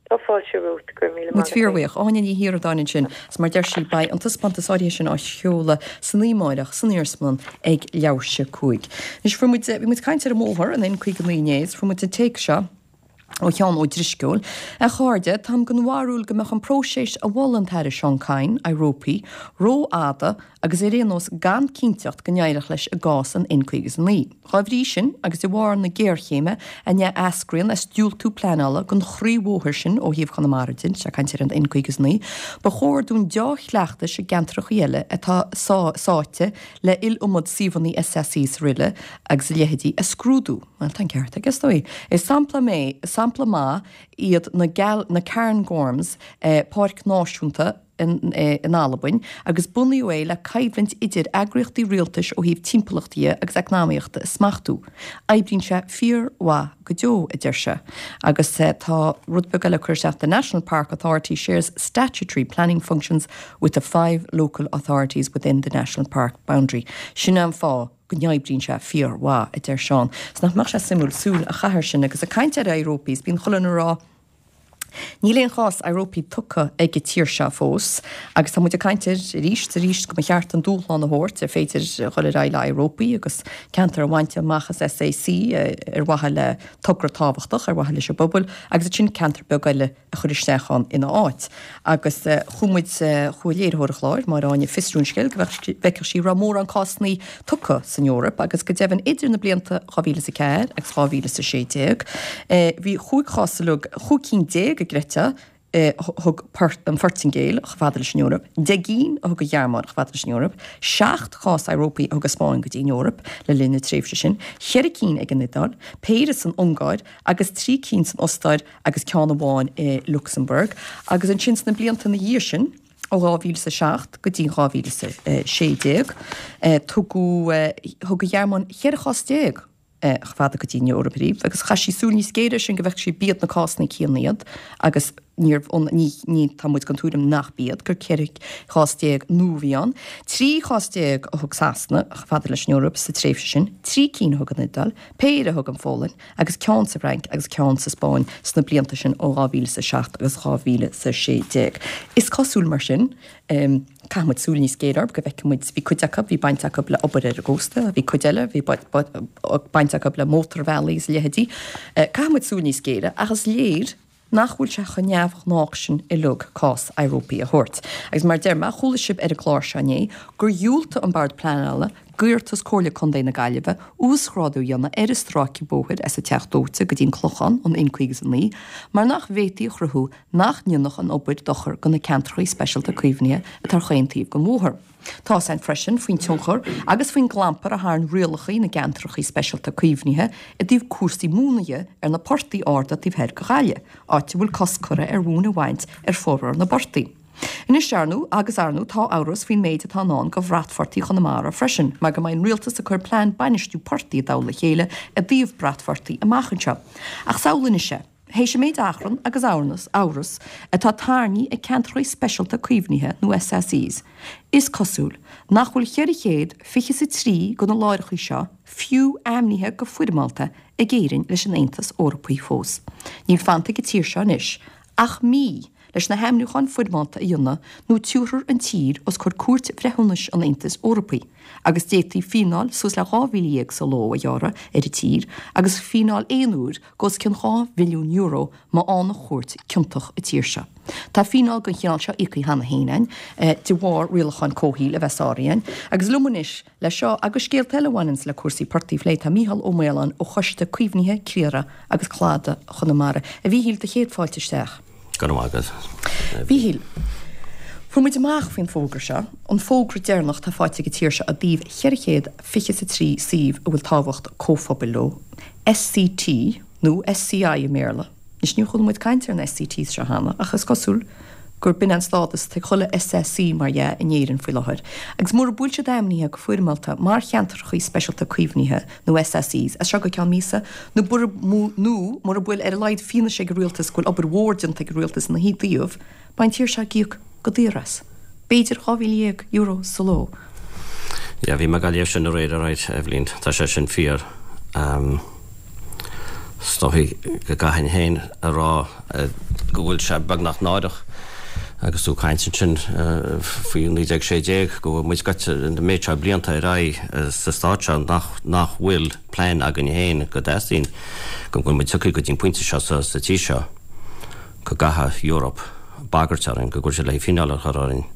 Tá fáilte romhat go raibh míle Muid maith agat. fíorbhuíoch. Áine Ní Shíoradáin ansin, is mar deir sí beidh an taispeántas áirithe sin á sheoladh san oíche amárach san Iarsmalann ag leathuair tar éis a cúig. Anois fuair muid bhí muid ag caint ar an mbóthar an N caoga naoi inné is fuair muid an téacs seo ó Sheán Ó Drisceoil. A chairde, táim den bharúil go mbeadh an próiseas a mhol an tAire Seán Kyne, éireopaí, rófhada agus ar aon nós gan cinnteacht go n-éireodh leis i gcás an N caoga is a naoi. Dá bhrí sin, agus de bharr na géarchéime a n-eascraíonn as diúltú pleanála don chroíbhóthar sin ó thaobh Chonamara de, tá sé ag caint ar an N caoga is a naoi, ba chóir dúinn deá-chleachtais i gceantracha eile atá sáite le iliomad suíomhanna SACs araile agus a leithéidí a scrúdú. Bhuel, tá an ceart aige, is dóigh. Is sampla mé, sampla maith iad na Gal, na Cairngorms, páirc náisiúnta in, in Albain, agus bunaíodh é le coimhlint idir eagraíochtaí rialtais ó thaobh timpeallachta dhe agus eacnamaíochta a smachtú. Oibríonn sé fíormhaith go deo, a deir sé. Agus tá rud beag eile curtha isteach, The National Park Authority shares statutory planning functions with the five local authorities within the National Park boundary. Sin an fáth go n-oibríonn sé fíormhaith, a deir Seán. 'S nach mbeadh sé suimiúil súil a chaitheamh air sin agus ag caint ar Éireopaí, bíonn chuile dhuine ag rá, Níl aon chás Éireopaí tugtha ag an tír seo fós agus tá muid ag caint air arís is arís go mba cheart an dúshlán a thabhairt ar féidir dhul ar aghaidh le Éireopaí agus ceantar a bhaint amach as SAC ar mhaithe le togra tábhachtach ar mhaithe leis an bpobal agus ansin ceantar beag eile a chur isteach ann ina áit. Agus chuaigh muid, chuaigh léiritheoir an chláir, Máire Áine, ag fiosrú an scéil go bhfeicfeadh sí raibh mórán cásanna tugtha san Eoraip agus go deimhin idir na blianta dhá mhíle is a ceathair agus dhá mhíle is a sé déag bhí chúig chás uilig, chúig cinn déag a gcreidfeá, a thug an Phortaingéil chomh fada leis an Eoraip, deich gcinn a thug an Ghearmáin chomh fada leis an Eoraip, seacht chás Éireopaí a thug an Spáinn go dtí an Eoraip le linn na tréimhse sin, cheithre cinn ag an Iodáil, péire san Ungáir agus trí cinn san Ostáir agus ceann amháin i Lucsamburg. Agus ansin sna blianta ina dhiaidh sin, ó dhá mhíle is a seacht go dtí dhá mhíle is a sé déag, tugadh, thug an Ghearmáin cheithre chás déag chomh fada go dtí an Eoraip ariamh agus chaith sí súil níos géire air sin go bhfeicfeadh sí b'iad na cásanna céanna iad agus níorbh ionann, ní, ní, tá muid den tuairim nach b'iad, gur ceithre chás déag nua a bhí ann. Trí chás déag a thug Sasana chomh fada leis an Eoraip sa tréimhse sin, trí cinn a thug an Iodáil, péire a thug an Pholainn agus ceann sa bhFrainc agus ceann sa Spáinn sna blianta sin ó dhá mhíle is a seacht agus dhá mhíle is a sé déag. Is cosúil mar sin, Caithfidh muid súil níos géire orthu go bhfeicfidh muid, bhí cuid acu, bhí baint acu le obair ar an gcósta, bhí cuid eile, bhí baint acu le mótarbhealaí is a leithéidí. Caithfidh muid súil níos géire ach is léir nach bhfuil sé chomh neamhghnách sin uilig cás Éireopaí a thabhairt. Agus mar a deir mé, chuala sibh ar an gclár seo inné gur dhiúltaigh an Bord Pleanála d'iarratas Comhairle Contae na Gaillimhe uasghrádú a dhéanamh ar an stráice bóthair as an Teach Dóite go dtí an Clochán, an N caoga is a naoi, mar nach bhféadfaí a chruthú nach ndéanfadh an obair dochar do na ceantracha speisialta caomhnaithe atá ar chaon taobh den bhóthar. Tá's againn freisin faoin tionchar agus faoin gclampar a tharraing rialacha na gceantracha speisialta caomhnaithe i dtaobh cúrsaí móna dhe ar na portaigh arda taobh thoir de Ghaillimh, áit a bhfuil cosc curtha ar mhóin a bhaint ar formhór na bportaigh. Anois, ar ndóigh, agus ar ndóigh, tá amhras faoin méid atá i ndán do bhratphortaigh Chonamara freisin, mar go mbeidh an Rialtas ag cur plean bainistiú portaigh i dtoll a chéile i dtaobh bratphortaigh amach anseo. Ach samhlaigh anois é, théis an méid achrann agus amhras, amhras atá tarraingthe ag ceantracha speisialta caomhnaithe nó SACs, is cosúil nach bhfuil cheithre chéad fiche is a trí de na láithreacha seo fiú ainmnithe go foirmeálta ag Éirinn leis an Aontas Eorpaí fós. Níl fanta ag an tír seo anois ach mí leis na hainmniúcháin foirmeálta a dhéanamh nó tabharfar an tír os comhair Cúirt Bhreithiúnais an Aontais Eorpaigh agus d'fhéadfaí fíneáil suas le dhá mhíle dhéag sa ló a ghearradh ar an tír agus fíneáil aon uair de os cionn dhá mhilliún euro má fhaigheann an chúirt ciontach an tír seo. Tá fíneáil den chineál seo íoctha cheana féin againn de bharr rialacháin comhshaoil a bheith sáraithe againn agus liom anois le seo agus scéalta eile a bhaineanns le cúrsaí portaigh a phlé tá Mícheál Ó Maoláin ó Choiste Caomhnaithe Criathraigh agus Cladaigh Chonamara. A Mhíchíl, do chéad fáilte isteach. Go raibh maith agat. A Mhíchíl, fuair muid amach faoin bhfógra seo, an fógra deireanach atá faighte ag an tír seo i dtaobh cheithre chéad fiche is a trí suíomh a bhfuil tábhacht comhphobail leo, SCT nó SCI i mBéarla. Anois níor chuala muid caint ar na SCTs seo cheana ach is cosúil gur b'in an stádas atá ag chuile SAC mar dhea in Éirinn faoi láthair. Agus mura bhfuil siad ainmnithe go foirmeálta mar cheantracha speisialta caomhnaithe nó SACs as seo go ceann míosa nó nó mura bhfuil ar a laghad fianaise ag an rialtas go bhfuil obair mhór déanta ag an rialtas ina thaobh, beidh an tír seo ag íoc go daor as. B'fhéidir dhá mhíle dhéag euro sa ló. Yeah, bhí mé ag léamh sin aréir, alright, Eibhlín, tá sé sin fíor. Um, is dóichí go gcaithfinn féin a rá go bhfuil sé beagnach náireach agus tú ag caint ansin faoi naoi déag sé déag go bhfuil muid gaibhte an méid seo blianta ar aghaidh sa stát seo nach nach bhfuil plean againn féin go dteastaíonn go bhfuil muid tugtha go dtí an pointe seo sa sa tír seo go gcaithfidh Europe bagairt orainn go gcuirfidh siad le fíneáil a chur orainn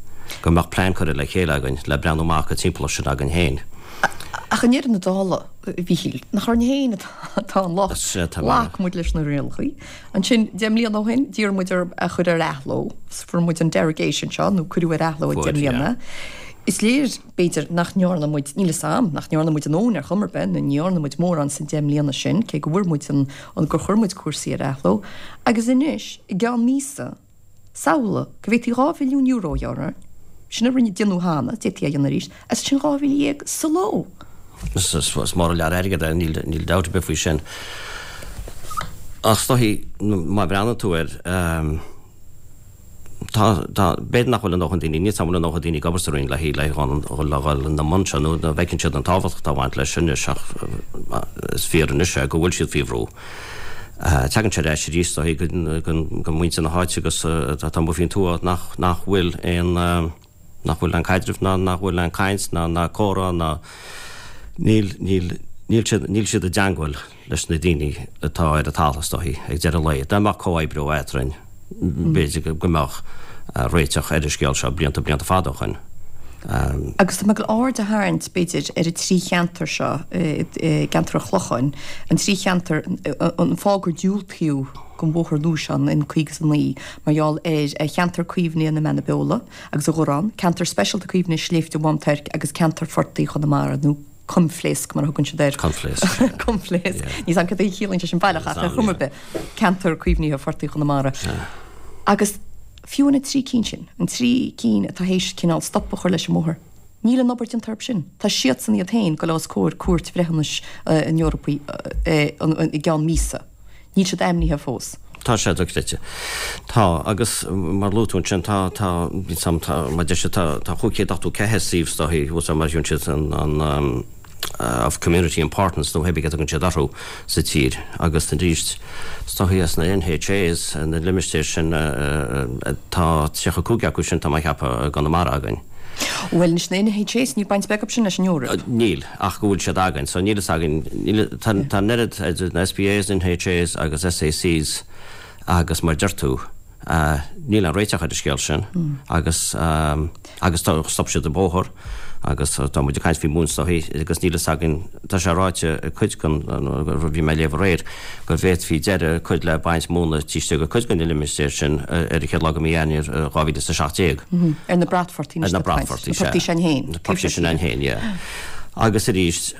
go mbeadh plean curtha le chéile againn le breathnú amach an timpeallacht sin againn féin. Ach i ndeireadh na dála, a Mhíchíl, nach orainn féin atá an locht. Ghlac muid leis na rialacha. Ansin, deich mbliana ó shin, d'iarr muid orthu a chur ar athló. Fuair muid an derogation seo, nó cuireadh ar athló é deich mbliana. Is léir, b'fhéidir, nach ndearna muid, níl 'fhios a'm, nach ndearna muid a ndóthain ar chuma ar bith, nó ní dhearna muid mórán san deich mbliana sin, cé go bhfuair muid an, gur chuir muid cúrsaí ar athló. Agus anois, i gceann míosa, Samhlaigh go bhféadfaí dhá mhilliún euro a ghearradh orainn. Sin a rinne déanadh cheana, d'fhéadfaí a dhéanamh arís, agus sin dhá mhíle dhéag sa ló! Is mór an lear airgid é, níl dabht ar bith faoi sin. Ach is dóichí, má bhreathnaíonn tú air, tá, tá, b'fhéidir nach bhfuil a ndóthain daoine, níl 's a'm an bhfuil a ndóthain daoine ag obair sa Roinn le le dhul ina mbun seo nó an bhfeiceann siad an tábhacht atá ag baint leis anois ach is fíor anois é go bhfuil siad faoi bhrú. Tagann sé ar ais arís is dóichí go muintir na háite agus atá amuigh faoin tuath nach nach bhfuil aon nach bhfuil aon caidreamh ná nach bhfuil aon caint ná ná comhrá ná níl níl níl siad níl siad i dteangmháil leis na daoine atá ar an talamh is dóichí ag deireadh an lae. Dá mbeadh comhoibriú eadrainn b'fhéidir go mbeadh réiteach ar an scéal seo blianta blianta fada ó shoin. Agus tá mé ag dul aird a tharraingt, b'fhéidir, ar an trí cheantar seo i gceantar an Chlocháin, an trí cheantar, an fáth gur diúltaíodh don bhóthar nua seo, an N caoga is a naoi, mar gheall ar cheantar caomhnaithe na Mbeanna Beola agus an Ghurráin, ceantar speisialta caomhnaithe Sléibhte Mhám Toirc agus ceantar Phortaigh Chonamara, nó Coimpléasc mar a thugann siad air. Coimpléasc. Coimpléasc. Níl 's a'm cad é a chiallaíonn sé sin baileach ach ar chuma ar bith, ceantar caomhnaithe Phortaigh Chonamara. Agus. Fiú na trí cinn sin, an trí cinn atá théis cineál stop a chur leis an mbóthar, níl an obair déanta orthu sin. Tá siadsan iad féin ag dul os comhair Cúirt Bhreithiúnais an Eorpaigh i gceann míosa. Níl siad ainmnithe fós. Tá sé dochreidte. Tá, agus mar a luaigh tú ansin, tá, tá, tá, mar deir siad, tá, tá chúig chéad ochtó ceathair suíomh is dóichí, thuas mar a thugann siad an, an, of community importance nó pé a thugann siad orthu sa tír agus arís is dóichí as na NHAs na limistéir sin tá tríocha cúig acu sin tá mé a cheapadh i gConamara againn. Bhuel anois na NHAs níl baint bheag acu sin leis an Eoraip. Níl ach go bhfuil siad againn so níl fhios againn níl tá tá an oiread idir na SPAs, NHAs agus SACs agus mar deir tú Níl aon réiteach ar an scéal sin agus agus stop siad an bóthar agus tá muid ag caint faoi mhóin is dóichí agus níl fhios againn, tá sé ráite ag cuid den, bhí mé ag léamh aréir, go bhféadfaí deireadh a chur le baint móna taobh istigh de cuid de na limistéir sin ar an chéad lá de mhí Eanáir dhá mhíle is a seacht déag. Ar na bratphortaigh anois. Ar na bratphortaigh, sea. Na portaigh sin féin. Na portaigh sin féin, yeah. Agus arís,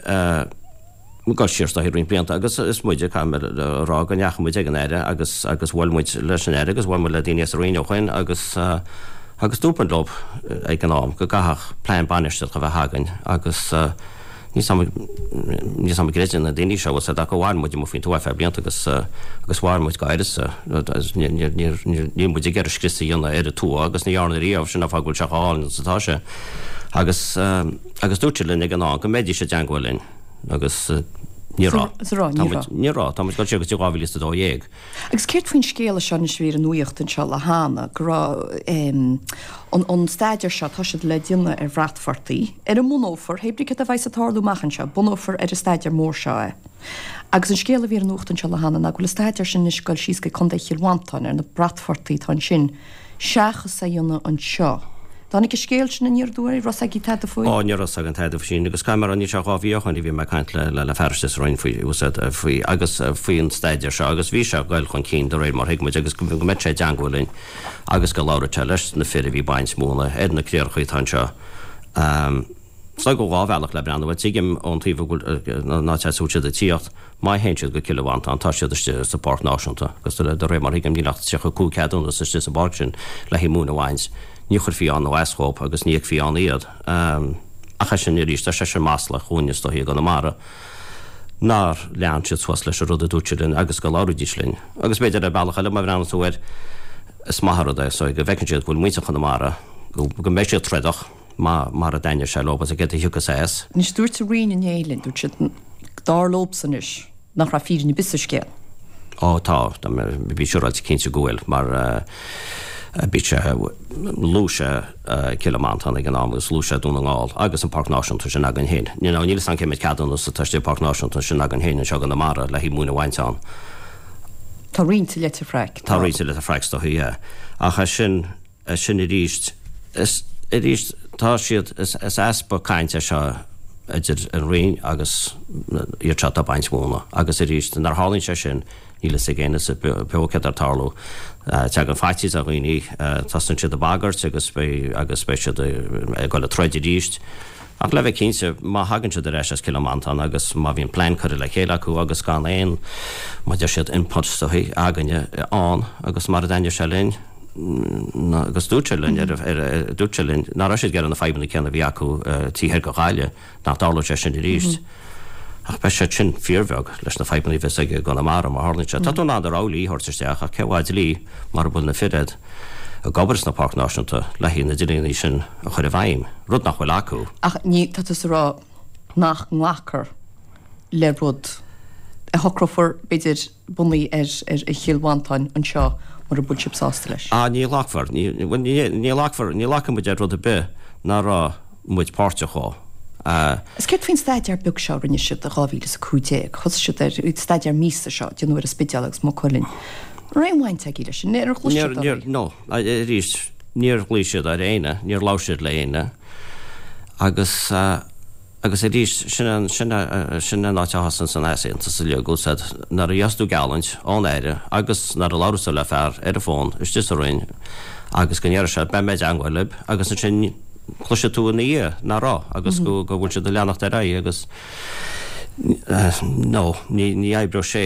dul siar is dóichí roinnt blianta agus is muide, caithfidh mé a rá go ndeachaigh muid ag an Aire agus agus bhuail muid leis an Aire agus bhuail muid le daoine as an Roinn ó shoin agus agus dúirt muid leo ag an am go gcaithfeadh plean bainistíochta a bheith againn agus níl 's níl 's a'm an gcreideann na daoine seo bhfuil 's a'd ach mhair muid amuigh faoin tuath ar feadh blianta agus agus mhair muid go háirithe níl níl níl muid ag iarraidh scrios a dhéanamh ar an tuath agus ní dhearna riamh sin an fáth go bhfuil sé chomh hálainn is atá sé agus agus dúirt siad linn ag an am go mbeidís i dteangmháil linn. Agus Ní raibh. Sa raibh, ní raibh. Ní raibh, tá muid ag dul siar go dtí dhá mhíle is a dó dhéag. Agus céard faoin scéala seo anois a bhí ar an nuacht anseo le hAnna, go raibh an an staidéar seo, tá siad le déanamh ar bhratphortaí, ar a mbunófar, hé brí céard a bheas ag tarlú amach anseo, bunófar ar an staidéar mór seo é. Agus an scéal a bhí ar an nuacht anseo le hAnna ná go bhfuil an staidéar sin anois ag dul síos go Contae Chill Mhantáin ar na bratphortaí atá ansin, seachas é a dhéanamh anseo. Dtáinig an scéal sin aniar aduaidh, raibh 's agaibh tada faoi? Ó, ní raibh 's againn tada faoi sin agus caithfidh mé a rá, níl sé dhá mhí ó shoin a bhí mé ag caint le le fear istigh sa Roinn faoi, faoi agus faoi an staidéar seo agus bhí sé ag goil chun cinn de réir mar thuig muid agus go mbeadh sé i dteangmháil linn agus go labhródh sé leis na fir a bhí ag baint móna ar na críochaí atá anseo. Is dóigh go bhfuil dhá bhealach le breathnú air. Tuigim ón taobh a bhfuil, an áit as a bhfuil siad ag tíocht, má théann siad go Cill Mhantáin tá siad istigh sa Pháirc Náisiúnta agus de réir mar thuigim níl ach tríocha a cúig ceadúnas istigh sa bpáirc sin le haghaidh móin a bhaint. Ní chuirfí ann nó as dhóibh agus ní fheicfí ann iad. Ach é sin arís, tá sé sin maslach dhúinne is dóichí i gConamara nár lean siad suas leis an rud a dúirt siad linn agus go labhraídís linn. Agus b'fhéidir ar bealach eile má bhreathnaíonn tú air is maith an rud é so go bhfeiceann siad go bhfuil muintir Chonamara, go mbeidh siad trodach. Mara dtaitneoidh sé leo is céard a thiocfas as. Anois dúirt an Roinn inné linn, dúirt siad, dar leobsan anois, nach raibh fírinne ar bith sa scéal. Ó tá, tá mé, bí siúráilte cinnte go bhfuil, mar bhí sé, luaigh sé Cill Mhantáin ag an am agus luaigh sé Dún na nGall agus an Páirc Náisiúnta sin againn féin. You know, níl 'fhios a'm cé méid ceadúnas atá istigh i bPáirc Náisiúnta sin againn féin anseo i gConamara le haghaidh móin a bhaint ann. Tá roinnt i Leitir Fraic. Tá roinnt i Leitir Fraic is dóichí, yeah. Ach é sin, é sin arís, is arís tá siad, is easpa cainte é seo idir an Roinn agus iad seo atá ag baint mhóna agus arís nuair a tharlaíonn sé sin níl fhios ag éinne sa bheo céard atá ag tarlú. Tagann faitíos ar dhaoine, tosaíonn siad ag bagairt agus beidh agus beidh siad ag dul ag troid arís. Ach le bheith cinnte, má thagann siad ar ais as Cill Mhantáin agus má bhíonn plean curtha le chéile acu agus gan aon, mar a deir siad, input is dóichí, againne ann agus mara dtaitneoidh sé linn, agus dúirt sé linn, dúirt sé linn nach raibh siad ag iarraidh na fadhbanna céanna a bhí acu taobh thoir de Ghaillimh, nach dtarlódh sé sin arís. Ach beidh siad sin fíorbheag leis na fadhbanna a bheas ag i gConamara má tharlaíonn sé. Tá tú in ann do rogha dlí a thabhairt isteach ach cé mhaith dlí mura bhfuil na fir a'd ag obair sna Páirc Náisiúnta le haghaidh na dlíonnaí sin a chur i bhfeidhm, rud nach bhfuil acu. Ach ní, tá tusa ag rá nach nglacfar le rud a shocrófar, b'fhéidir, bunaithe ar Chill Mhantáin anseo mura bhfuil sibh sásta leis. Ah, ní ghlacfar. Ní, bhuel, ní, ní ghlacfar, ní ghlacfaidh muid ar rud ar bith nach raibh muid páirteach dhó. Ah. Is céard faoin staidéar beag seo a rinne siad i dhá mhíle is a cúig déag? Thosaigh siad ar, staidéar míosa seo, déanadh ar an Spidéal agus Maigh Cuilinn. An raibh aon bhaint agaibh leis sin? Ar ghlaoigh Níor, siad níor, oraibh? no. Arís, níor ghlaoigh siad ar éinne, níor labhair siad le éinne agus, ah, Agus arís, sin an, sin a, sin an áit a thosaíonn an easaontas uilig, bhfuil 's a'd, nuair a gheobhas tú geallúint ón Aire agus nuair a labhras tú le fear ar an bhfón istigh sa Roinn agus go ndéarfaidh sé beidh mé i dteangmháil libh agus ansin cloisfidh tú ina dhiaidh nach raibh agus go, go bhfuil siad ag leanacht ar aghaidh agus no, ní, ní oibreoidh sé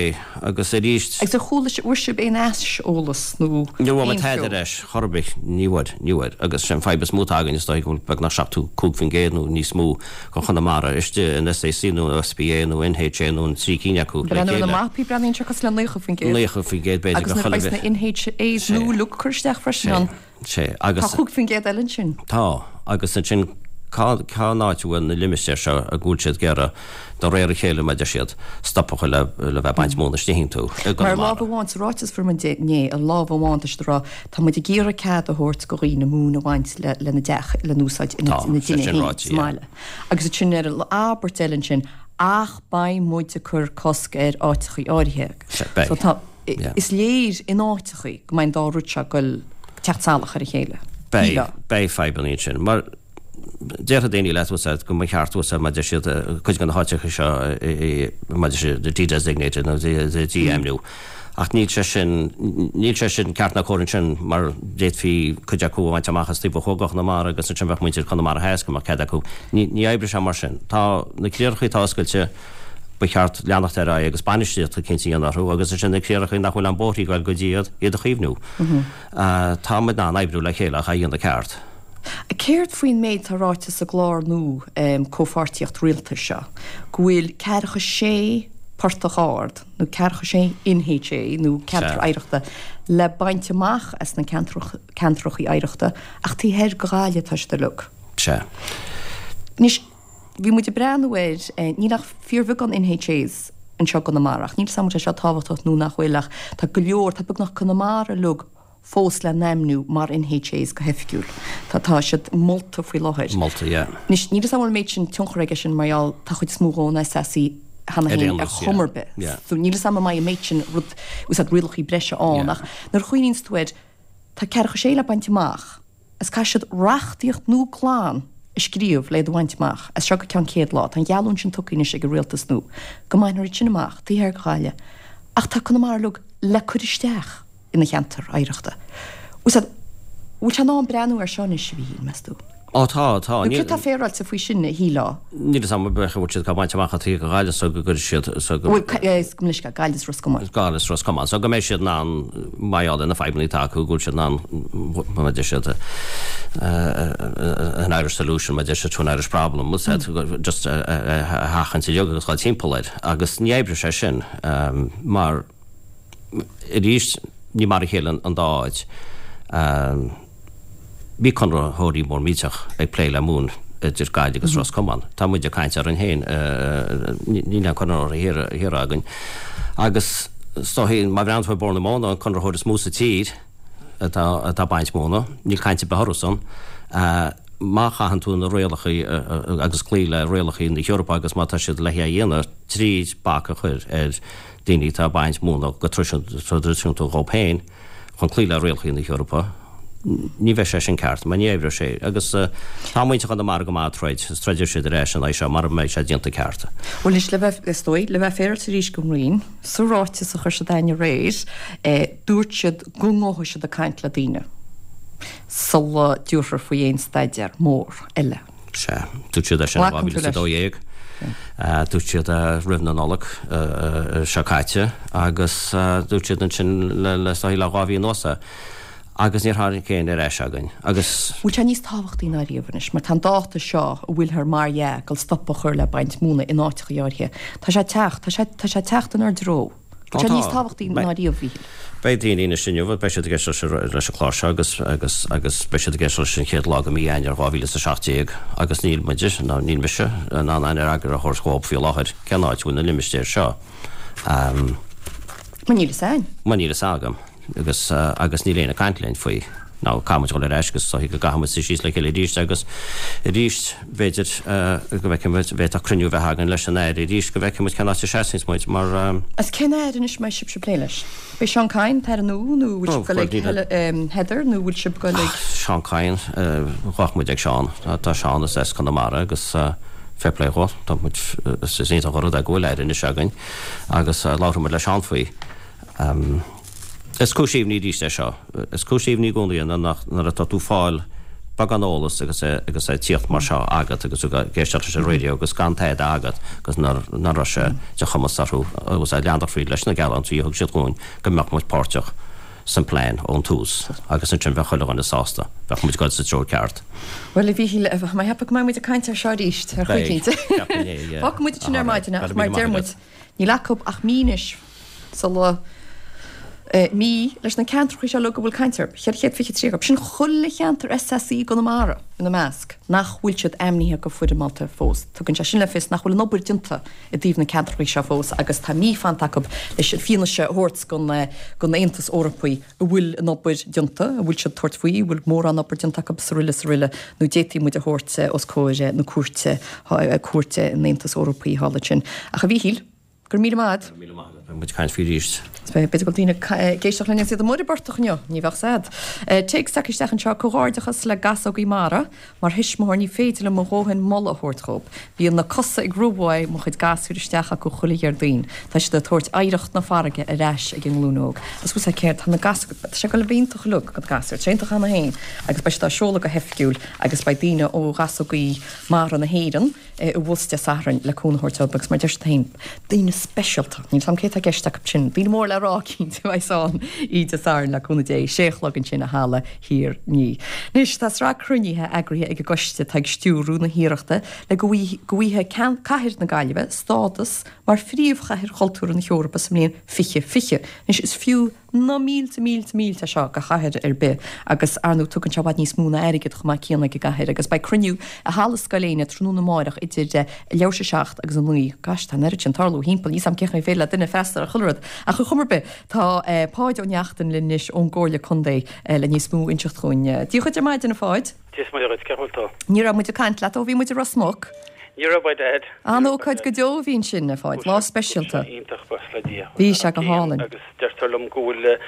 agus arís. Agus ar chuala sibh, bhfuair sibh aon aiseolas nó Ní bhfuair muid aon tada cheo? ar ais chor ar bith, ní bhfuair, ní bhfuair. Agus sé an fadhb is mó atá againn is dóigh go bhfuil beagnach seachtó cúig faoin gcéad nó níos mó de Chonamara istigh in SAC nó SPA nó NHA nó an trí cinn acu le Breathnú ar na chéile. mapaí, breathnaíonn sé cosúil le naocha faoin gcéad. Naocha faoin gcéad b'fhéidir Agus go nuair a chuile bheas na bith. NHAs Sé. nua uilig curtha isteach freisin Sé. ann. Sé. Tá Agus. chúig faoin gcéad eile ansin. Tá. Agus ansin Cá cá áit a bhfuil na limistéir seo a bhfuil siad ag iarraidh, de réir a chéile mar a deir siad, stop a chur le le bheith ag baint móna istigh iontu i Mar gConamara? lámh amháin, sa ráiteas a fuair muid inné, ar lámh amháin tá siad ag rá, tá muid ag iarraidh cead a thabhairt go dhaoine móin a bhaint le lena dteach lena úsáid ina Tá, ina sé dtine sin féin ráite, sa yeah. mbaile. Agus ansin ar an abairt eile ansin, ach beidh muid ag cur cosc ar áiteachaí áirithe. Sea, beidh. So tá, Yeah. is léir in áiteachaí go mbeidh an dá rud seo ag goil teacht salach ar a chéile. Beidh, Shílfeá. beidh fadhbanna ansin. Mar Déarfaidh daoine leat bhfuil go mba cheart bhfuil mar a deir siad cuid de na háiteacha seo mar a deir siad de-designated nó dí-ainmniú. Ach níl sé sin, níl sé sin ceart ná cóir ansin mar d'fhéadfaí cuid acu a bhaint amach as taobh ó thuaidh de Chonamara agus ansin bheadh muintir Chonamara Theas go mbeadh cead acu. Ní, ní oibreoidh sé mar sin. Tá na críochaí atá oscailte, ba cheart leanacht ar aghaidh agus bainistíocht eicínt a dhéanamh orthu agus ansin na críochaí nach bhfuil aon bóithrí ag goil go dtí iad, iad a chaomhnú. Tá muid in ann oibriú le chéile ach é a dhéanamh ceart. Céard faoin méid atá ráite sa gclár nua comhpháirtíocht rialtais seo, go bhfuil ceathracha sé portach ard, nó ceathracha sé NHA, nó ceantar oidhreachta, le baint amach as na ceantracha oidhreachta, ach taobh thoir de Ghaillimh atá siad uilig. Sea. Anois, Bhí muid ag breathnú air, níl ach fíorbheagán NHAs anseo i gConamara, ach níl 's agam an bhfuil sé seo tábhachtach nó nach bhfuil ach tá go leor, tá beagnach Conamara uilig fós le n-ainmniú mar NHAs go hoifigiúil. Tá tá siad molta faoi láthair. Molta, yeah. Anois, níl 'fhios agam an bhfuil an méid sin tionchar aige sin mar gheall tá chuid is mó dhó in SAC cheana Ar féin aon ar nós, chuma yeah. ar bith. Yeah. So níl 'fhios agam an mbeidh an méid sin rud, úsáid rialacha breise ann Yeah. ach nuair a chuimhníonns tú air, tá ceathracha sé le baint amach is caithfidh siad reachtaíocht nua glan a scríobh le iad a bhaint amach as seo go ceann céad lá. Tá an gheallúint sin tugtha anois ag an rialtas nua go mbainfear iad sin amach taobh thiar de Ghaillimh. Ach tá Conamara uilig le cur isteach ina cheantar oidhreachta. Bhfuil sé bhfuil sé in am breathnú air seo anois, a Mhíchíl, meas tú? Ó tá, tá. Nó céard atá féaráilte faoi sin, a shílfeá? Níl 'fhios a'm bheadh bhfuil siad ag baint amach taobh de Ghaillimh so go gcuirfidh siad so go Bhuel, gabh mo leithscéal, Gaillimh is Ros Comáin. Gaillimh is Ros Comáin. So go mbeidh siad in ann mar gheall ar na fadhbanna atá acu, go bhfuil siad in ann mar a deir siad an Irish solution, mar a deir siad to an Irish problem, bhfuil siad just a sheachaint uilig agus dhul timpeall air. Agus ní oibreoidh sé sin mar arís ní mar a chéile an dá áit. Bhí conraitheoirí mór millteach ag plé le móin idir Gaillimh agus Ros Comáin. Tá muid ag caint orainn féin, níl aon conraitheoir thiar againn. Agus is dóichí, má bhreathnaíonn tú ar Bord na Móna, an conraitheoir is mó sa tír atá ag baint móna, níl caint ar bith orthu san. Má chaitheann tú na rialacha agus cloí le rialacha na hEorpa agus má tá siad le é a dhéanamh tríd bac a chur ar daoine atá ag baint móna go traidisiúnta dhóibh féin chun cloí le rialacha na hEorpa, ní bheidh sé sin ceart, mar ní oibreoidh sé. Agus tá muintir Chonamara go maith ag troid, is troidfidh siad ar ais an aghaidh seo mara mbeidh sé déanta ceart. Bhuel anois, le bheith, is dóigh, le bheith féaráilte arís don Roinn, sa ráiteas a chuir siad againn aréir, dúirt siad go ngabhfaidh siad ag caint le daoine sula dtabharfar faoi aon staidéar mór eile. Sea, dúirt siad é sin in dhá Glacann mhíle tú is a leis? dó dhéag. Dúirt siad é roimh na Nollag seo caite agus dúirt siad ansin le, le, is dóigh le dhá mhí anuas é. Agus níor tháinig aon ar ais againn. Agus. Bhfuil sé níos tábhachtaí ná riamh anois, mar tá an dáta seo a bhfuilthear mar dhea ag dul stop a chur le baint móna in áiteacha áirithe, tá sé ag teacht, tá sé, tá sé ag teacht inár dtreo. Ó Bhfuil sé tá. níos tábhachtaí ná riamh, a Mhíchíl? Beidh daoine anois inniu, beidh siad ag éisteacht leis, leis an chlár seo agus, agus, agus beidh siad ag éisteacht leis an chéad lá de mhí Eanáir dhá mhíle is a seacht déag agus níl muide, ná níl mise, in ann aon fhreagra a thabhairt dhóibh faoi láthair cén áit a bhfuil na limistéir seo. Mar níl fhios a'inn. Mar níl fhios agam. Agus, agus níl éinne ag caint linn faoi. Now, caithfidh muid dul ar ais agus is dóichí go gcaithfidh muid suí síos le chéile arís agus arís, b'fhéidir, go bhfeicfidh muid, bhféadfadh cruinniú a bheith againn leis an Aire arís go bhfeicfidh muid cén áit a seasanns muid mar. Is cén Aire anois a mbeidh sibhse ag plé leis? B'é Seán Kyne, an tAire nua, nó bhfuil sibh ag dul ag Heather nó bhfuil sibh ag dul ag. Seán Kyne, gabhfaidh muid ag Seán. Tá Seán as Conamara agus fair play dhó, tá muid, is iontach an rud é go bhfuil Aire anois againn agus labharfaidh muid le Seán faoi. Is cúis imní arís é seo. Is cúis imní i gcónaí é nuair atá tú ag fáil beagán eolas agus é agus é ag tíocht mar seo agat agus tú ag éisteacht leis an raidió agus gan tada agat agus nach raibh sé de chumas orthu agus leanacht fríd leis na geallúintí a thug siad dhúinn go mbeadh muid páirteach san plean ón tús agus ansin bheadh chuile dhuine sásta, bheadh muid ag dul sa treo ceart. Bhuel, a Mhíchíl, tá mé ag ceapadh go mbeidh muid ag caint air seo arís ar chaoi Beidh, éicint. ceapaim é, yeah. Fágfaidh muid sin ar maidin ach Go raibh mar míle a deir maith muid, agat. níl acu ach mí anois sula mí leis na ceantracha seo uilig a bhfuil caint orthu, ceithre chéad fiche trí acu, sin chuile cheantar SAC i gConamara ina measc, nach bhfuil siad ainmnithe go foirmeálta fós. Tugann sé sin le fios nach bhfuil an obair déanta i dtaobh na ceantracha seo fós agus tá mí fanta acu leis an fianaise a thabhairt don don Aontas Eorpaí an bhfuil an obair déanta, an bhfuil siad ag tabhairt faoi, an bhfuil mórán obair déanta acu is araile is araile nó d'fhéadfaí muid a thabhairt os comhair na cúirte, cúirte an Aontais Eorpaí thall ansin. Ach a Mhíchíl, Go raibh míle maith agat. Go raibh míle maith agat. Beidh muid ag caint faoi arís. B'fhéidir go bhfuil daoine ag éisteacht linn agus iad amuigh ar an bportach inniu, ní bheadh 's a'd. Téacs tagtha isteach anseo, Comhghairdeachas le Gasógaí Mara. Mar thuismitheoir ní féidir liom mo dhóthain moladh a thabhairt dhóibh. Bíonn na cosa ag rith uaidh mo chuid gasúir isteach acu chuile Dhéardaoin. Tá siad ag tabhairt oidhreacht na farraige ar ais ag an nglúin óg. Agus bhfuil 's a'd céard, tá na gasúir, tá sé ag dul a bheith iontach uilig do na gasúir, tá sé iontach cheana féin agus beidh siad á seoladh go hoifigiúil agus beidh daoine ó Ghasógaí Mara na hÉireann, abhus Dé Sathairn le cúnamh a thabhairt dóibh agus mar a deir siad féin, daoine speisialta, níl 's a'm cé atá i gceist acu sin, daoine mór le rá cinnte a bheas ann oíche Dé Sathairn le cúnamh Dé, sé a chlog ansin i Halla Thír an Fhia. Anois tá sraith cruinnithe eagraithe ag an gcoiste atá ag stiúrú na hiarrachta le go bhfaighidh cathair na Gaillimhe stádas mar phríomhchathair chultúrtha na hEorpa sa mbliain fiche fiche. Anois is fiú Na mílte, mílte, mílte seo do chathair ar bith agus ar ndóigh tugann sé i bhfad níos mó ná airgead chomh maith céanna ag an gcathair agus beidh cruinniú i Halla Scoil Éinne tráthnóna amáireach idir leathuair tar éis a seacht agus a naoi. Gosh, tá an oiread sin tarlú thimpeall, níl 's a'm cén chaoi féidir le duine freastal ar chuile rud. Ach ar chuma ar bith, tá Páid Ó Neachtain linn anois ón gComhairle Contae le níos mó a inseacht dhúinn. Dia dhuit ar maidin, a Pháid. Dia is Muire dhuit, cén chaoi a bhfuil tú? Ní raibh muid ag caint leat ó bhí muid i Ros Muc. Ní raibh, by dad. An-ócáid go deo a bhí ansin, a Pháid, lá speisialta. Bhí sé iontach, buíochas le Dia. Bhí sé go hálainn. Agus deirtear liom go bhfuil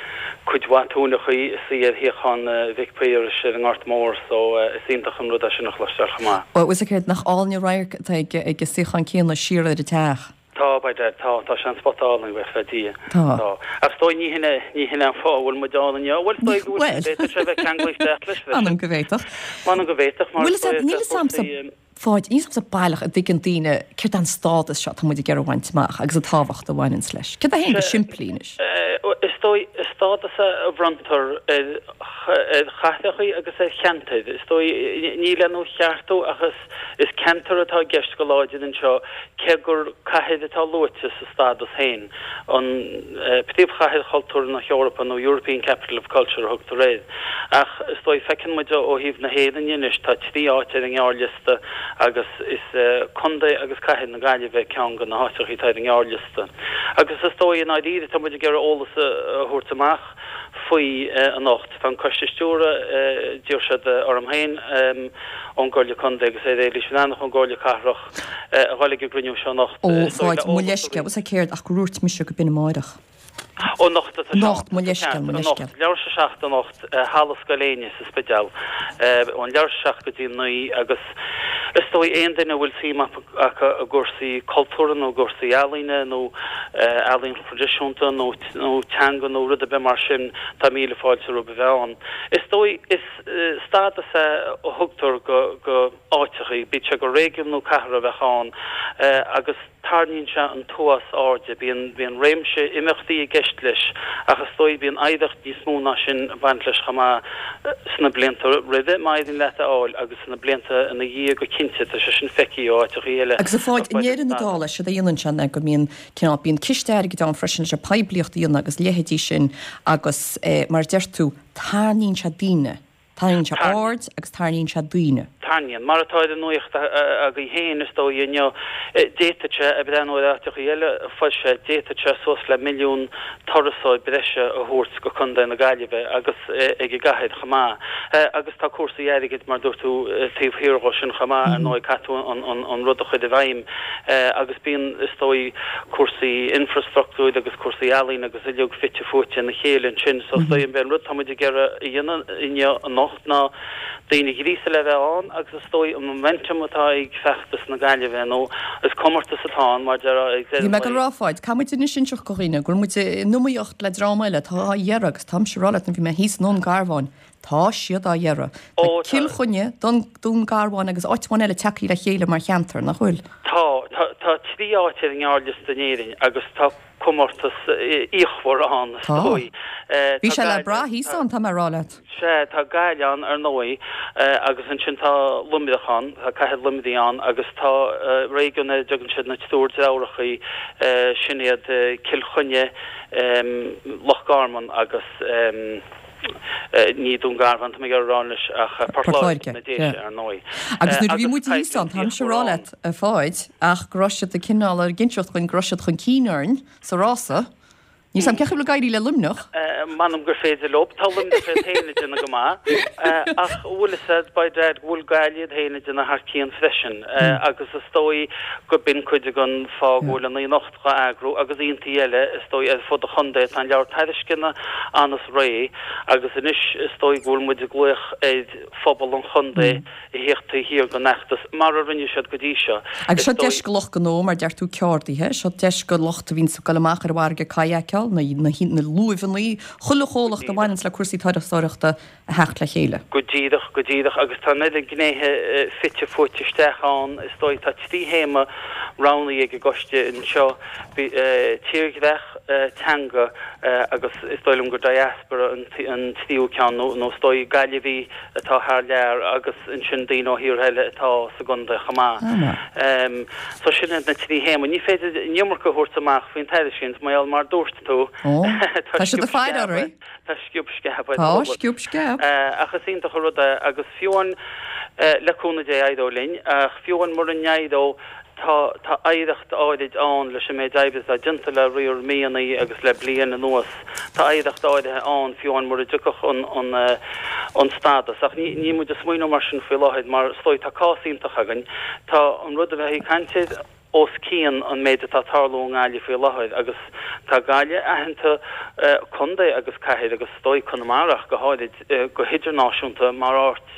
cuid mhaith tóineachaí ag suí ar shuíochán Mhic Piarais ar an nGort Mór so is iontach an rud é sin a chloisteáil chomh maith. Bhuel, is céard nach álainn an radharc atá ag an suíochán céanna siar ar an teach. Tá, by dad, tá, tá sé an spota álainn, buíochas le Dia. Tá. Tá. Ach is dóigh ní hin é, ní hin é an fáth a bhfuil muid ann inniu. Bhuel, is dóigh go bhfuil, b'fhéidir sé bheith ceanglaithe isteach leis freisin. M'anam go bhféadfadh. M'anam go bhféadfadh, mar is dóigh níl 'fhios a'msa, Pháid, níl 'fhios a'msa baileach an dtuigeann daoine céard é an stádas seo atá muid ag iarraidh a bhaint amach agus an tábhacht a bhaineanns leis. Céard é féin go simplí anois? Is dóigh, is stádas é a bhronntar ar ar chathracha agus ar cheantair. Is dóigh, ní le nuacheartú ach is is ceantar atá i gceist go láidir anseo cé gur cathair atá luaite sa stádas féin. An Príomhchathair Chultúir na hEorpa nó European Capital of Culture a thugtar air. Ach is dóigh, feiceann muid ó thaobh na hÉireann dhe anois, tá trí áit ar an ngearrliosta agus is Contae agus Cathair na Gaillimhe ceann de na háiteacha atá ar an ngearrliosta. Agus is dóigh, i ndáiríre, tá muid ag iarraidh eolas a thabhairt amach faoi anocht. Tá an Coiste Stiúrtha, d'iarr siad orm féin ón gComhairle Contae agus ar Éilís Bhreathnach ón gComhairle Cathrach a dhul ag an gcruinniú seo anocht. Ó, a Pháid, mo leithscéal, bhfuil 's a'd céard ach gur dhúirt mise go b'in amáireach. Ó, anocht atá sé ann. Anocht, mo leithscéal, mo leithscéal. Anocht, leathuair tar éis a seacht anocht, i Halla Scoil Éinne sa Spidéal, ón leathuair tar éis a seacht go dtí a naoi agus is dóigh aon duine a bhfuil suim acu i gcúrsaí cultúrtha nó i gcúrsaí ealaíne nó ealaín thraidisiúnta nó nó teanga nó rud ar bith mar sin, tá míle fáilte rompu a bheith ann. Is dóigh, is stádas é a thugtar go go áiteachaí, bíodh sé gur réigiún nó cathair a bheadh ann, agus tarraingíonn sé an t-uafás airde. Bíonn bíonn réimse imeachtaí i gceist leis ach is dóigh bíonn oidhreacht níos mó ná sin ag baint leis chomh maith sna blianta roimhe, má éiríonn leat é a fháil, agus sna blianta ina dhiaidh go cinnte, tá sé sin feicthe ó áiteachaí eile. Agus a Pháid, i ndeireadh na dála, séard a dhéanann sé ná go mbíonn cineál, bíonn ciste airgid ann freisin leis an poiblíocht a dhéanamh agus leithéidí sin agus mar a deir tú, tarraingíonn sé daoine, tarraingíonn sé aird agus tarraingíonn sé daoine. Tarraingíonn. Mar atá ar an nuacht agaibh féin, is dóigh, inniu, d'fhéadfadh sé, ag breathnú ar áiteachaí eile a foilsithe, d'fhéadfadh sé suas le milliún turasóir breise a thabhairt go Contae na Gaillimhe agus ag an gcathair chomh maith. Agus tá cúrsaí airgid, mar dúirt tú, taobh thiar dhó sin chomh maith, ar ndóigh, caithfidh tú an rud a chur i bhfeidhm agus bíonn, is dóigh, cúrsaí infrastruchtúir agus cúrsaí ealaíne agus uilig fite fuaite ina chéile ansin. So is dóigh, an rud atá muid ag iarraidh a dhéanamh inniu, anocht, ná daoine a ghríosadh le bheith ann agus is dóigh an momentum atá ag feachtas na Gaillimhe nó is comórtas atá ann mar déarfá ag Bhí deireadh mé ag an dul a lae. rá, a Pháid, caithfidh muid anois inseacht do dhaoine go bhfuil muid in iomaíocht le dream eile atá á iarraidh agus táimse ag rá leat nuair a bhí mé thíos i nDún Garbhán, tá siad á iarraidh. Tá Ó, tá. Cill Chainnigh, Dún, Dún Garbhán agus áit amháin eile tagtha le chéile mar cheantar, nach bhfuil? Tá, tá, tá trí áit ar an ngearrliosta in Éirinn agus tá comórtas fíochmhar ann, is Tá. dóigh. Bhí Tá sé le Gaillimh, brath thíos tá. ann, tá mé ag rá leat. Sea, tá Gaillimh ann, ar ndóigh, agus ansin tá Luimneach ann, tá cathair Luimnigh ann agus tá réigiún ar a dtugann siad na Triúr Deartháireacha, sin iad Cill Chainnigh, Loch Garman agus ní Dún Garbhán, tá mé ag iarraidh a rá anois, ach Port Port Láirge, Láirge, na Déise, yeah. ar ndóigh. Agus nuair a bhí Agus muid thíos ann, coimhlint táimse ag fíochmhar rá ann. leat, a Pháid, ach go raibh siad ag cineál ag inseacht dhúinn go raibh siad chun cinn orainn sa rása. Níl 's a'm cén chaoi a bhfuil ag éirí le Luimneach. M'anam gur féidir leo. Tá Luimneach iad féin ag déanamh go maith. Ach bhfuil fhios a'd, by dad, go bhfuil Gaillimh iad féin ag déanamh thar cionn freisin. Agus is dóigh go b'in cuid den fáth go bhfuil an oíche anocht dhá eagrú agus oícheantaí eile is dóigh ar fud an chontae. Tá an leabhar tairisceana ann is réidh agus anois is dóigh go bhfuil muid ag glaoch ar phobal an chontae a thíocht taobh thiar den fheachtas, mar a rinne siad go dtí seo. Agus Is seo deis dóigh. do lucht gnó, mar deir tú, ceardaithe, seo deis do lucht a bhíonns ag dul amach ar an bhfarraige kayakeáil, na, na, na luaimheanna, chuile Go chomhlacht a díreach. bhaineanns le cúrsaí turasóireachta a theacht le chéile. Go díreach, go díreach. Agus tá an oiread gnéithe fite fuaite isteach ann, is dóigh. Tá trí théama roghnaithe ag an gcoiste anseo, tírdhreach, teanga agus is dóigh liom gur diaspora an tríú ceann, nó is dóigh Gaillimhigh atá thar lear agus ansin daoine ó thíortha eile atá sa gcontae chomh maith. So sin iad na trí théama. Ní féidir an iomarca a thabhairt amach faoin tairiscint, mar gheall mar dúirt tú, tú. Tá siad ag faire oraibh. Tá sciob sceab. Tá sciob sceab. Ach is iontach an rud é agus fiú amháin le cúnamh Dé éireoidh linn, ach fiú amháin mura n-éireodh tá tá oidhreacht áirid ann leis an méid oibre atá déanta le riar míonna agus le bliain anuas. Tá oidhreacht áirithe ann fiú amháin mura dtiocfadh an an an stádas. Ach ní níl muid ag smaoineamh mar sin faoi láthair mar is dóigh tá cás iontach againn. Tá an rud a bheith ag caint air os cionn an méid atá ag tarlú i nGaillimh faoi láthair agus tá Gaillimh aitheanta, contae agus cathair agus is dóigh Conamara ach go háirid, go hidirnáisiúnta mar áit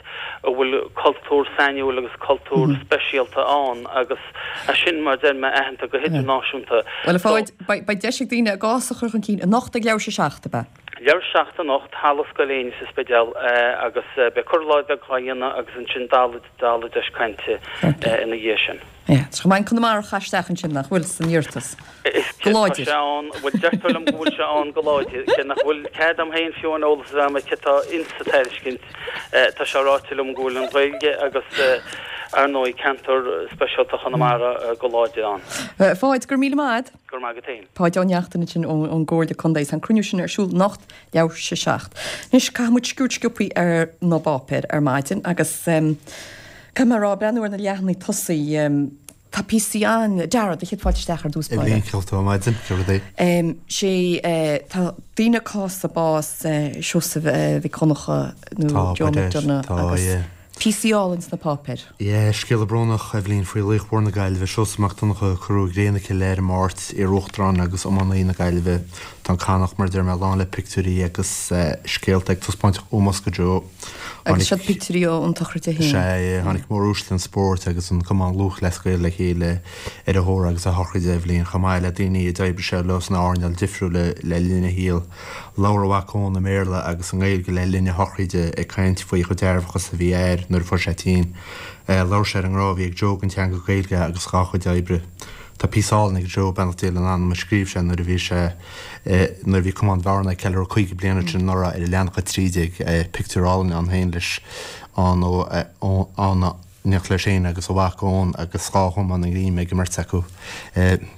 a bhfuil cultúr sainiúil agus cultúr speisialta ann agus é sin, mar a deir mé, aitheanta go hidirnáisiúnta. Bhuel, a Pháid, beidh deis ag daoine a gcás a chur chun cinn anocht ag leathuair tar éis a seacht, ab ea? Leathuair tar éis a seacht anocht, Halla Scoil Éinne sa Spidéal agus beidh cur i láthair beag dhá dhéanamh agus ansin dala deis cainte ina dhiaidh sin. Yeah, tá go maith an Conamara a chur isteach ansin nach bhfuil san iarratas. Go Tá láidir. sé ann, bhuel deirtear liom go bhfuil sé ann go láidir, cé nach bhfuil cead agam féin fiú an eolas a bheith agam cé tá insa tairiscint. Tá sé ráite liom go bhfuil an Ghaeilge agus ar ndóigh ceantar speisialta Chonamara go láidir ann. A Pháid, go raibh míle maith agat. Go raibh maith agat féin. Páid Ó Neachtain ansin ón gComhairle Contae. Tá an cruinniú sin ar siúl anocht leathuair tar éis a seacht. Anois caithfidh muid sciuird sciobtha ar na bpáipéir ar maidin agus caithfidh mé a rá, breathnú ar na leathanaigh tosaigh, tá píosaí ann. Dara, do chéad fáilte isteach ar dtús báire. Eibhlín, cén chaoi a bhfuil tú ar maidin, cén rud é? Sé, tá daoine ag cásamh bás Seosamh Mhic Dhonncha nó Joe McDonagh agus píosaí álainn sna páipéir. Yeah, scéala brónach, Eibhlín, faoi laoch mhór na Gaillimhe, Seosamh Mac Donncha, a cuireadh i gcré na cille ar an Máirt, iar-uachtarán agus iománaí na Gaillimhe. Tá an Cadhnach, mar a deir mé, lán le pictiúirí agus scéalta ag taispeáint ómós do Joe. Agus siad pictiúirí ón tsochraid féin. Sea, tháinig móruaisle an spóirt agus an Cumann Lúthchleas Gael le chéile ar a thórramh agus a shochraid, Eibhlín, chomh maith le daoine a d'oibrigh sé leo sna hearnáil difriúla le linn a shaoil. Labhair a mhac Eoin i mBéarla agus i nGaeilge le linn a shochraide, ag caint faoi chomh dearfach is a bhí a athair nuair a fuair sé tinn. Labhair sé ar an ngrá a bhí ag Joe don teanga Gaeilge agus dhá chuid oibre. Tá píosa álainn ag Joe, beannacht Dé lena anam, a scríobh sé nuair a bhí sé, nuair a bhí Cumann Bhearna ag ceiliúradh caoga bliain ansin anuraidh ar leathanach a trí déag, pictiúr álainn ann féin leis, ann ó, ann in éineacht leis féin agus a mhac Eoin agus dhá chamán greimithe ag an mbeirt acu.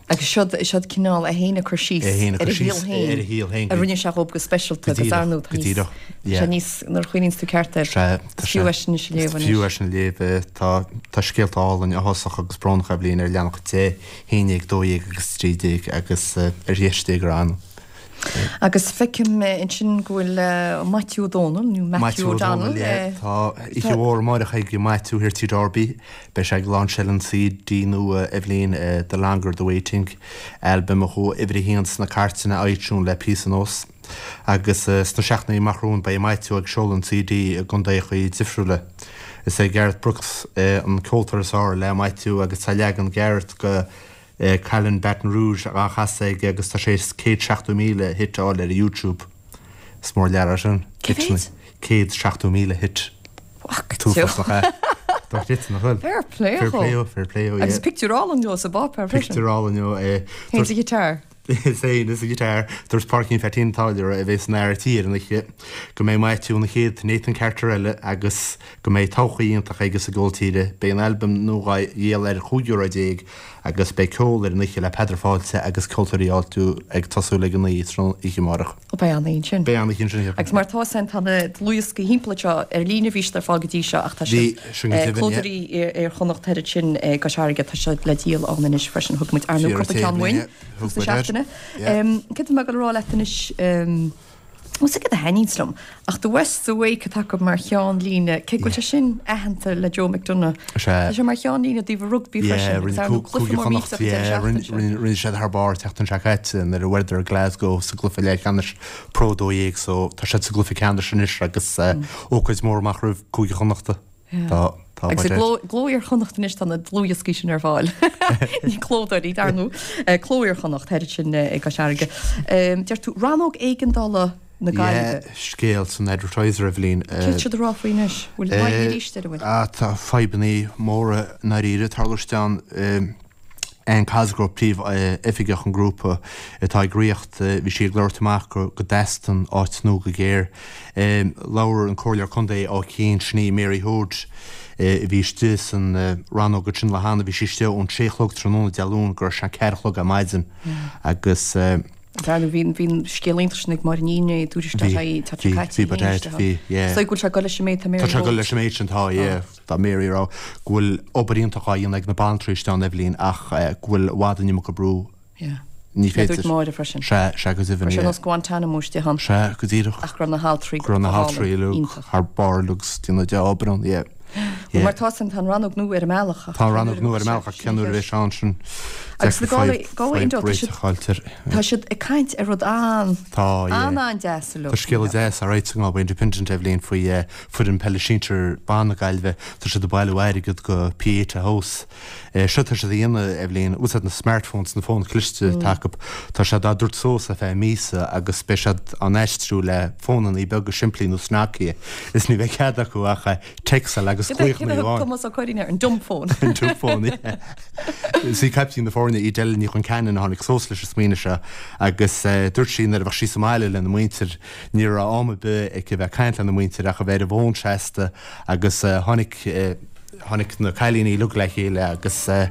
Agus siod, siod cineál é féin ag cur síos É féin ag ar cur a shaol síos féin, ar a shaol féin a rinne sé dhób go speisialta Go agus díreach, ar ndóigh tá go níos, díreach, tá yeah. sé níos, nuair a chuimhníonns tú ceart air, Sea, tá is fiú sé, é sin anois a is léamh fiú anois. é sin a léamh. Tá, tá scéalta álainn, áthasach agus brónach Eibhlín ar leathanach a deich, haon déag, dó dhéag agus trí déag agus ar dheis Dé go raibh ann. Agus feicim ansin go bhfuil Maitiú Ó Dónaill, nó Matthew O'Donnell, Tá oíche mhór amárach ag Maitiú thiar Tigh Darby. Beidh sé ag lainseáil an CD nua Eibhlín, The Longer The Waiting, albam a chuaigh uimhir a haon sna cairteanna iTunes le píosa anuas. Agus sna seachtainí amach romhainn beidh Maitiú ag seoladh an CD i gcontaethacha difriúla. Is é Garth Brooks an ceoltóir is fearr le Maitiú agus tá leagan Gareth de Callin' Baton Rouge á chasadh aige agus tá sé céad seachtó míle hit a fháil ar YouTube. Is mór lear é sin. Cé mhéad? Céad seachtó míle hit. Uafásach nach ea? Dochreidte, nach bhfuil? Fair play Fair dhó. play dhó, fair play dhó, yeah. Agus pictiúr álainn dhó sa bpáipéar freisin. Pictiúr álainn dhó, eh. Féin is a ghiotár. Is é is a ghiotár. Dúirt Pádraigín Pheaitín an Táilliúra, a bheidh san fhear tí ar an oíche, go mbeidh Maitiú ina chéad Nathan Carter eile agus go mbeidh todhchaí iontach aige sa gceol tíre. Beidh an albam nua á dhíol ar chúig euro déag agus beidh ceol ar an oíche le Peadar Fáilte agus ceoltóirí áitiúla ag tosú ag a naoi tráthnóna oíche amárach. Ó beidh an-oíche ansin. Beidh an-oíche ansin. Agus mar atá san tá na dlúthdhioscaí thimpeall anseo ar líne bhí siad ar fáil go dtí seo ach tá Bhí, siad sin go deimhin, yeah. Clódóirí Iar-Chonnacht thairis sin i gCois Fharraige tá siad le díol ann anois freisin. Thug muid ar ndóigh Fíor cúpla ceann taobh uainn linn, tús thug na muid air. seachtaine. Yeah. Céard atá mé ag dul a rá leat anois Bhuel céard a thaitníonns liom ach The West's Awake atá acu mar cheannlíne cé go bhfuil sé sin aitheanta le Joe McDonagh. Sea. Tá sé mar cheannlíne i dtaobh an rugbaí Yeah, freisin agus rinne ar ndóigh cú- cluiche Cúige mór Chonnacht, millteach an deireadh yeah, rinne seachtaine seo. rinne- rinne siad thar barr tseachtain seo caite nuair a bhuadar Glasgow sa gcluiche leathcheannais Pro dó dhéag so tá siad sa gcluiche ceannais anois agus eh, ócáid mhór amach roimh Cúige Chonnachta. Tá tá Agus i buidéad. gCló gCló Iar-Chonnacht anois tá na dlúthdhioscaí sin ar fáil. Ní clódóirí dar ndóigh. Cló Iar-Chonnacht thairis sin i gCois Fharraige. Deir tú rannóg éigeandála na Yeah, Gaillimhe. scéal san Advertiser Eibhlín. Céard siad a rá faoi anois? Bhfuil fadhb arís ar a bhfuil? Ah, tá fadhbanna móra ndáiríre ag tarlú ann Anne Cosgrove príomh-oifigeach an ghrúpa atá ag ríocht bhí sí ag labhairt amach go go dteastaíonn áit nua go géar. Labhair an Comhairleoir Contae Áth Cinn sin í Mary Hoade a bhí istigh san rannóg sin le hana bhí sí istigh ón sé a chlog tráthnóna Dé Luain go raibh sé ceathair a chlog ar maidin agus Dar bhí bhí scéal iontach sin ag Máire Ní Fhinné dúirt Bhí, sé tá bhí, bhí, but bhí, yeah. So go bhfuil sé ag dul leis an méid tá Mary Tá sé ag dul leis an méid sin tá, yeah, tá Mary ag rá go bhfuil obair iontach á dhéanamh ag na banaltraí istigh ann Eibhlín ach go bhfuil i bhfad an iomarca brú. Yeah. Ní féidir. Dúirt Máire freisin. Sea, sea go deimhin, Go raibh sé yeah. nós Guantanamo istigh ann. Sea, go díreach. Ach go raibh na haltraí Go raibh na go haltraí hálainn, uilig iontach. thar barr agus déanamh dea-obair ann, yeah. Bhuel, mar tá san, tá an rannóg nua ar an mbealach ach Tá an rannóg nua ar an mbealach ach cén uair a bheidh sé ann sin? Agus na Deacair Galway, fadhb, Galway fadhb Indo, tá réiteach siad, a fháilt air. tá siad ag caint ar rud an, Tá, yeah. an, an-deas uilig. Tá scéala deas á ráit sa nGalway Independent, Eibhlín, faoi eh, foireann peile sinsir ban na Gaillimhe. Tá siad ag bailiú airgead go Pieta House. Eh, seo tá siad a dhéanamh, Eibhlín, úsáid na smartphones, na fóin chliste atá acu. Tá siad á dtabhairt suas ar feadh míosa agus beidh siad á n-aistriú le fónanna beaga simplí nó Nokia. Is ní bheidh cead acu ach eh, téacsáil agus Cé glaochanna a thug amháin. Tomás Ó Curraoin air, an dumb phone. An dumb phone, yeah. Is í caiptín na foirne í Della Ní Chonceanainn a tháinig suas leis an smaoineamh seo agus eh, dúirt sí nuair a bheadh sí sa mbaile lena muintir ní raibh am ar bith aici bheith ag caint lena muintir ach a bheith ar an bhfón seasta agus eh, tháinig eh, tháinig na cailíní uilig le chéile agus eh,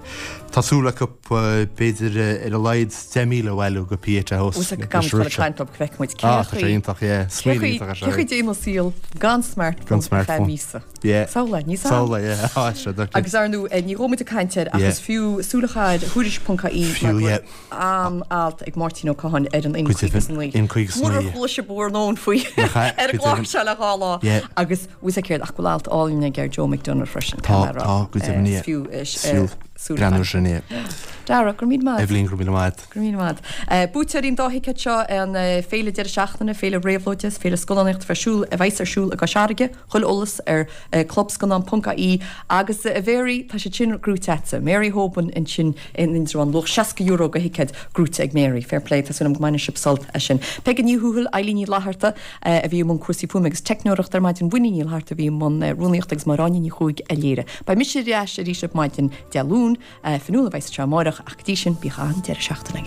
tá súil acu eh, b'fhéidir eh, ar a laghad deich míle a bhailiú go Pieta House. Ús ag gan leis an rud ag seo. caint leo go bhfeicfidh muid Ah, tá sé iontach, yeah. Smaoineamh iontach é seo, Cé chaoi déanamh saol gan smartphone Gan ar feadh smartphone. míosa. Yeah. Samhlaigh, ní Samhlaigh, yeah. Ah, sé, doctor. Agus ar ndóigh, eh, ní raibh muid ag caint air ach Yeah. is fiú súil a chaitheamh ar thuairisc ponc ie Fiú, yeah. an alt ag Máirtín Ó Catháin ar an Go deimhin, in caoga is a naoi. in caoga is a naoi, Murar yeah. chuala sibh bhur ndóthain faoi Nach ea, ar an go gclár deimhin. seo le dhá lá. Yeah. Agus bhfuil céard ach go bhfuil alt álainn ag ar Joe McDonagh freisin. Tá, caithfidh mé a rá. tá, go deimhin, Eh, yeah. Is fiú, eh, Is fiú eh, súil a breathnú chaitheamh. sin, yeah. Dara, go raibh míle maith. Eibhlín, go raibh míle maith. Go raibh míle maith. Eh, Buaiteoirí an dá thicéad seo an eh, féile deireadh seachtaine, féile réabhlóide, féile scannánaíochta ar siúl a bheas ar siúl i gCois Fharraige, chuile eolas ar eh, clubscannán ponc ie agus eh, a Mhary, tá sé sin gnóite agatsa. Mary Hoban ansin in Indreabhán luach seasca euro go thicéad gnóite ag Mary. Fair play, tá súil agam go mbainfidh sibh sult as sin. Peige Ní Thuathail, Eilín Ní Fhlatharta eh, a bhí i mbun cúrsaí fuaime agus teicneoireachta ar maidin Winnie Ní Fhlatharta a bhí i mbun eh, rúnaíochta agus Máire Áine Ní Chuaig a léirigh. Beidh mise ar ais arís ar maidin Dé Luain, eh, Fionnuala a bheas anseo amárach ach go dtí sin bíodh an deireadh seachtaine agaibh.